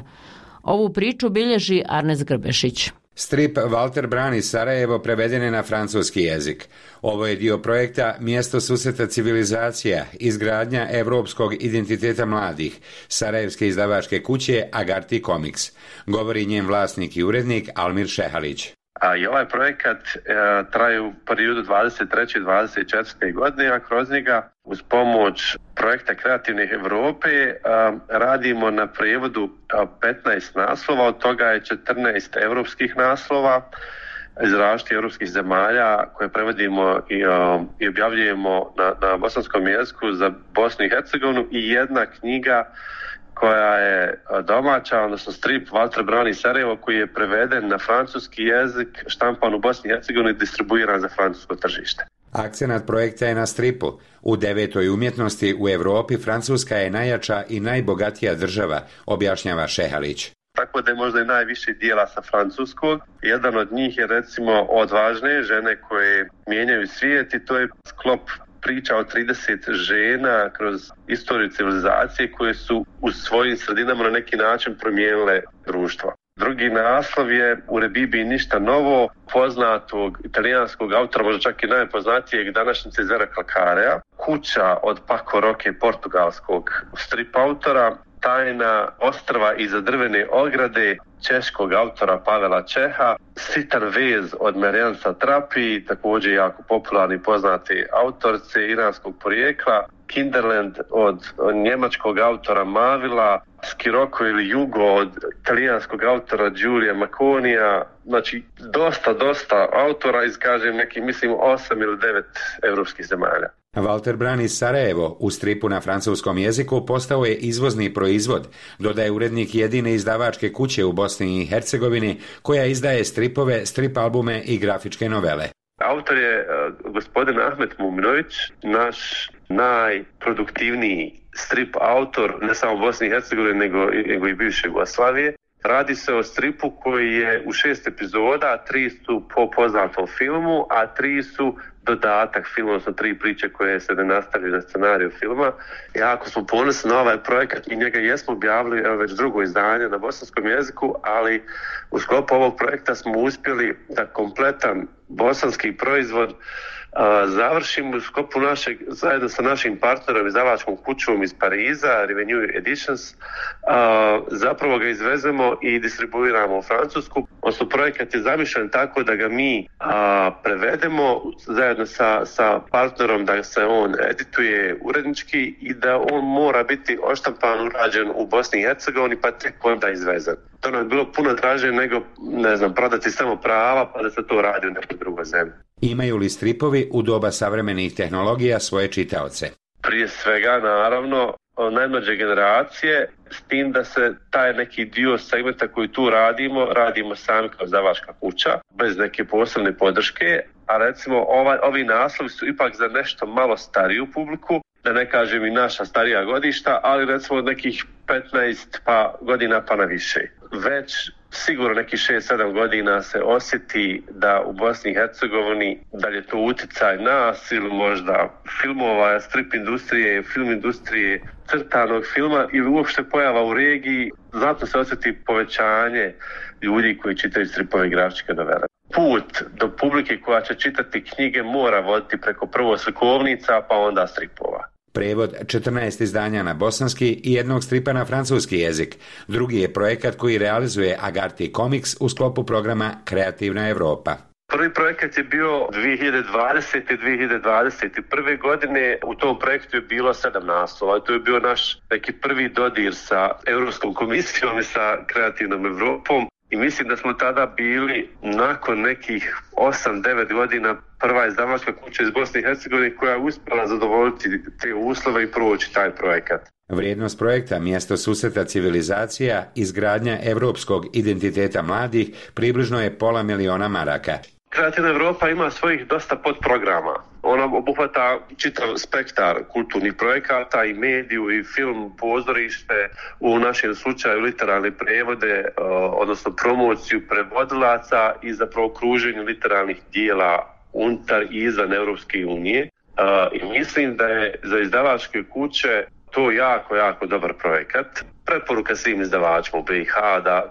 Ovu priču bilježi Arnes Grbešić. Strip Walter Brani Sarajevo preveden je na francuski jezik. Ovo je dio projekta Mjesto susreta civilizacija, izgradnja evropskog identiteta mladih, sarajevske izdavačke kuće Agarty Comics, govori njen vlasnik i urednik Almir Šehalić. I ovaj projekat traje u periodu 23. i 24. godine, a kroz njega uz pomoć projekta Kreativne Europe radimo na prijevodu 15 naslova, od toga je 14 europskih naslova iz različitih europskih zemalja koje prevodimo i objavljujemo na bosanskom jeziku za Bosnu i Hercegovinu i jedna knjiga koja je domaća, odnosno strip Walter Brani Sarajevo koji je preveden na francuski jezik, štampan u Bosni i Hercegovini i distribuiran za francusko tržište. Akcenat projekta je na stripu. U 9. umjetnosti u Europi Francuska je najjača i najbogatija država, objašnjava Šehalić. Tako da je možda i najviše dijela sa francuskog. Jedan od njih je recimo Odvažne žene koje mijenjaju svijet i to je sklop priča o 30 žena kroz istoriju civilizacije koje su u svojim sredinama na neki način promijenile društvo. Drugi naslov je U Rebibi ništa novo, poznatog italijanskog autora, možda čak i najpoznatijeg današnjice Zvera Calcarea, Kuća od Paco Roque, portugalskog strip autora, Tajna ostrva iza drvene ograde češkog autora Pavela Čeha, Sitan vez od Marijan Satrapi, također jako popularni poznati autorce iranskog porijekla, Kinderland od njemačkog autora Mavila, Skiroko ili Jugo od italijanskog autora Giulia Maconija, znači dosta autora iz, kažem, neki, mislim, 8 ili 9 evropskih zemalja. Walter Brani Sarajevo u stripu na francuskom jeziku postao je izvozni proizvod, dodaje urednik jedine izdavačke kuće u Bosni i Hercegovini koja izdaje stripove, strip albume i grafičke novele. Autor je gospodin Ahmet Muminović, naš najproduktivniji strip autor, ne samo u Bosni i Hercegovini, nego i bivše Jugoslavije. Radi se o stripu koji je u 6 epizoda, 3 su po poznatom filmu, a 3 su dodatak filmu, odnosno 3 priče koje se ne nastavljaju na scenariju filma. Jako smo ponosni na ovaj projekat i njega jesmo objavili već drugo izdanje na bosanskom jeziku, ali u sklopu ovog projekta smo uspjeli da kompletan bosanski proizvod završimo u sklopu našeg, zajedno sa našim partnerom izdavačkom kućom iz Pariza, Revenue Editions, zapravo ga izvezemo i distribuiramo u Francusku. Odnosno, projekat je zamišljen tako da ga mi prevedemo zajedno sa partnerom, da se on edituje urednički i da on mora biti odštampan, urađen u Bosni i Hercegovini, pa tek onda izvezen. To nam je bilo puno draže nego, prodati samo prava pa da se to radi u nekoj drugoj zemlji. Imaju li stripovi u doba savremenih tehnologija svoje čitaoce? Prije svega, naravno, najmlađe generacije, s tim da se taj neki dio segmenta koji tu radimo sami kao izdavačka kuća, bez neke posebne podrške, a recimo ovi naslovi su ipak za nešto malo stariju publiku, da ne kažem i naša starija godišta, ali recimo od nekih 15 godina pa na više. Već sigurno nekih 6-7 godina se osjeti da u Bosni i Hercegovini, da li je to utjecaj nas ili možda filmova, strip industrije, film industrije, crtanog filma ili uopšte pojava u regiji, zato se osjeti povećanje ljudi koji čitaju stripove i grafičke novele. Put do publike koja će čitati knjige mora voditi preko prvo slikovnica pa onda stripova. Prevod 14 izdanja na bosanski i jednog stripa na francuski jezik. Drugi je projekat koji realizuje Agarty Comics u sklopu programa Kreativna Europa. Prvi projekat je bio 2020. i 2021. godine. U tom projektu je bilo 7 naslova. To je bio naš neki prvi dodir sa Europskom komisijom i sa Kreativnom Europom. I mislim da smo tada bili nakon nekih 8-9 godina prva izdavačka kuća iz Bosne i Hercegovine koja je uspjela zadovoljiti te uslove i proći taj projekat. Vrijednost projekta Mjesto susreta civilizacija, izgradnja europskog identiteta mladih, približno je $500.000 maraka. Kreativna Europa ima svojih dosta podprograma. Ona obuhvata čitav spektar kulturnih projekata i mediju i film, pozorište, u našem slučaju literarne prevode, odnosno promociju prevodilaca i zapravo kruženju literarnih dijela unutar i izvan Europske unije. I mislim da je za izdavačke kuće to jako dobar projekat. Preporuka svim izdavačima u BiH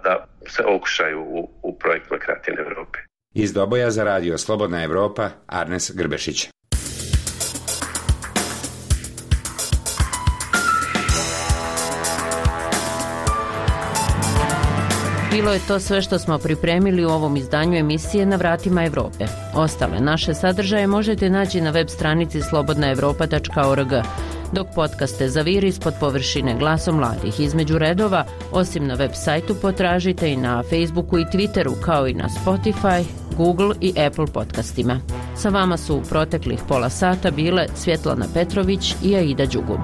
da se okušaju u projektima Kreativne Europe. Iz Doboja za radio Slobodna Evropa, Arnes Grbešić. Bilo je to sve što smo pripremili u ovom izdanju emisije Na vratima Evrope. Ostale naše sadržaje možete naći na web stranici slobodnaevropa.org, dok podcaste zaviri ispod površine Glasom mladih između redova, osim na web sajtu potražite i na Facebooku i Twitteru, kao i na Spotify, Google i Apple podcastima. Sa vama su u proteklih pola sata bile Svjetlana Petrović i Aida Đugum.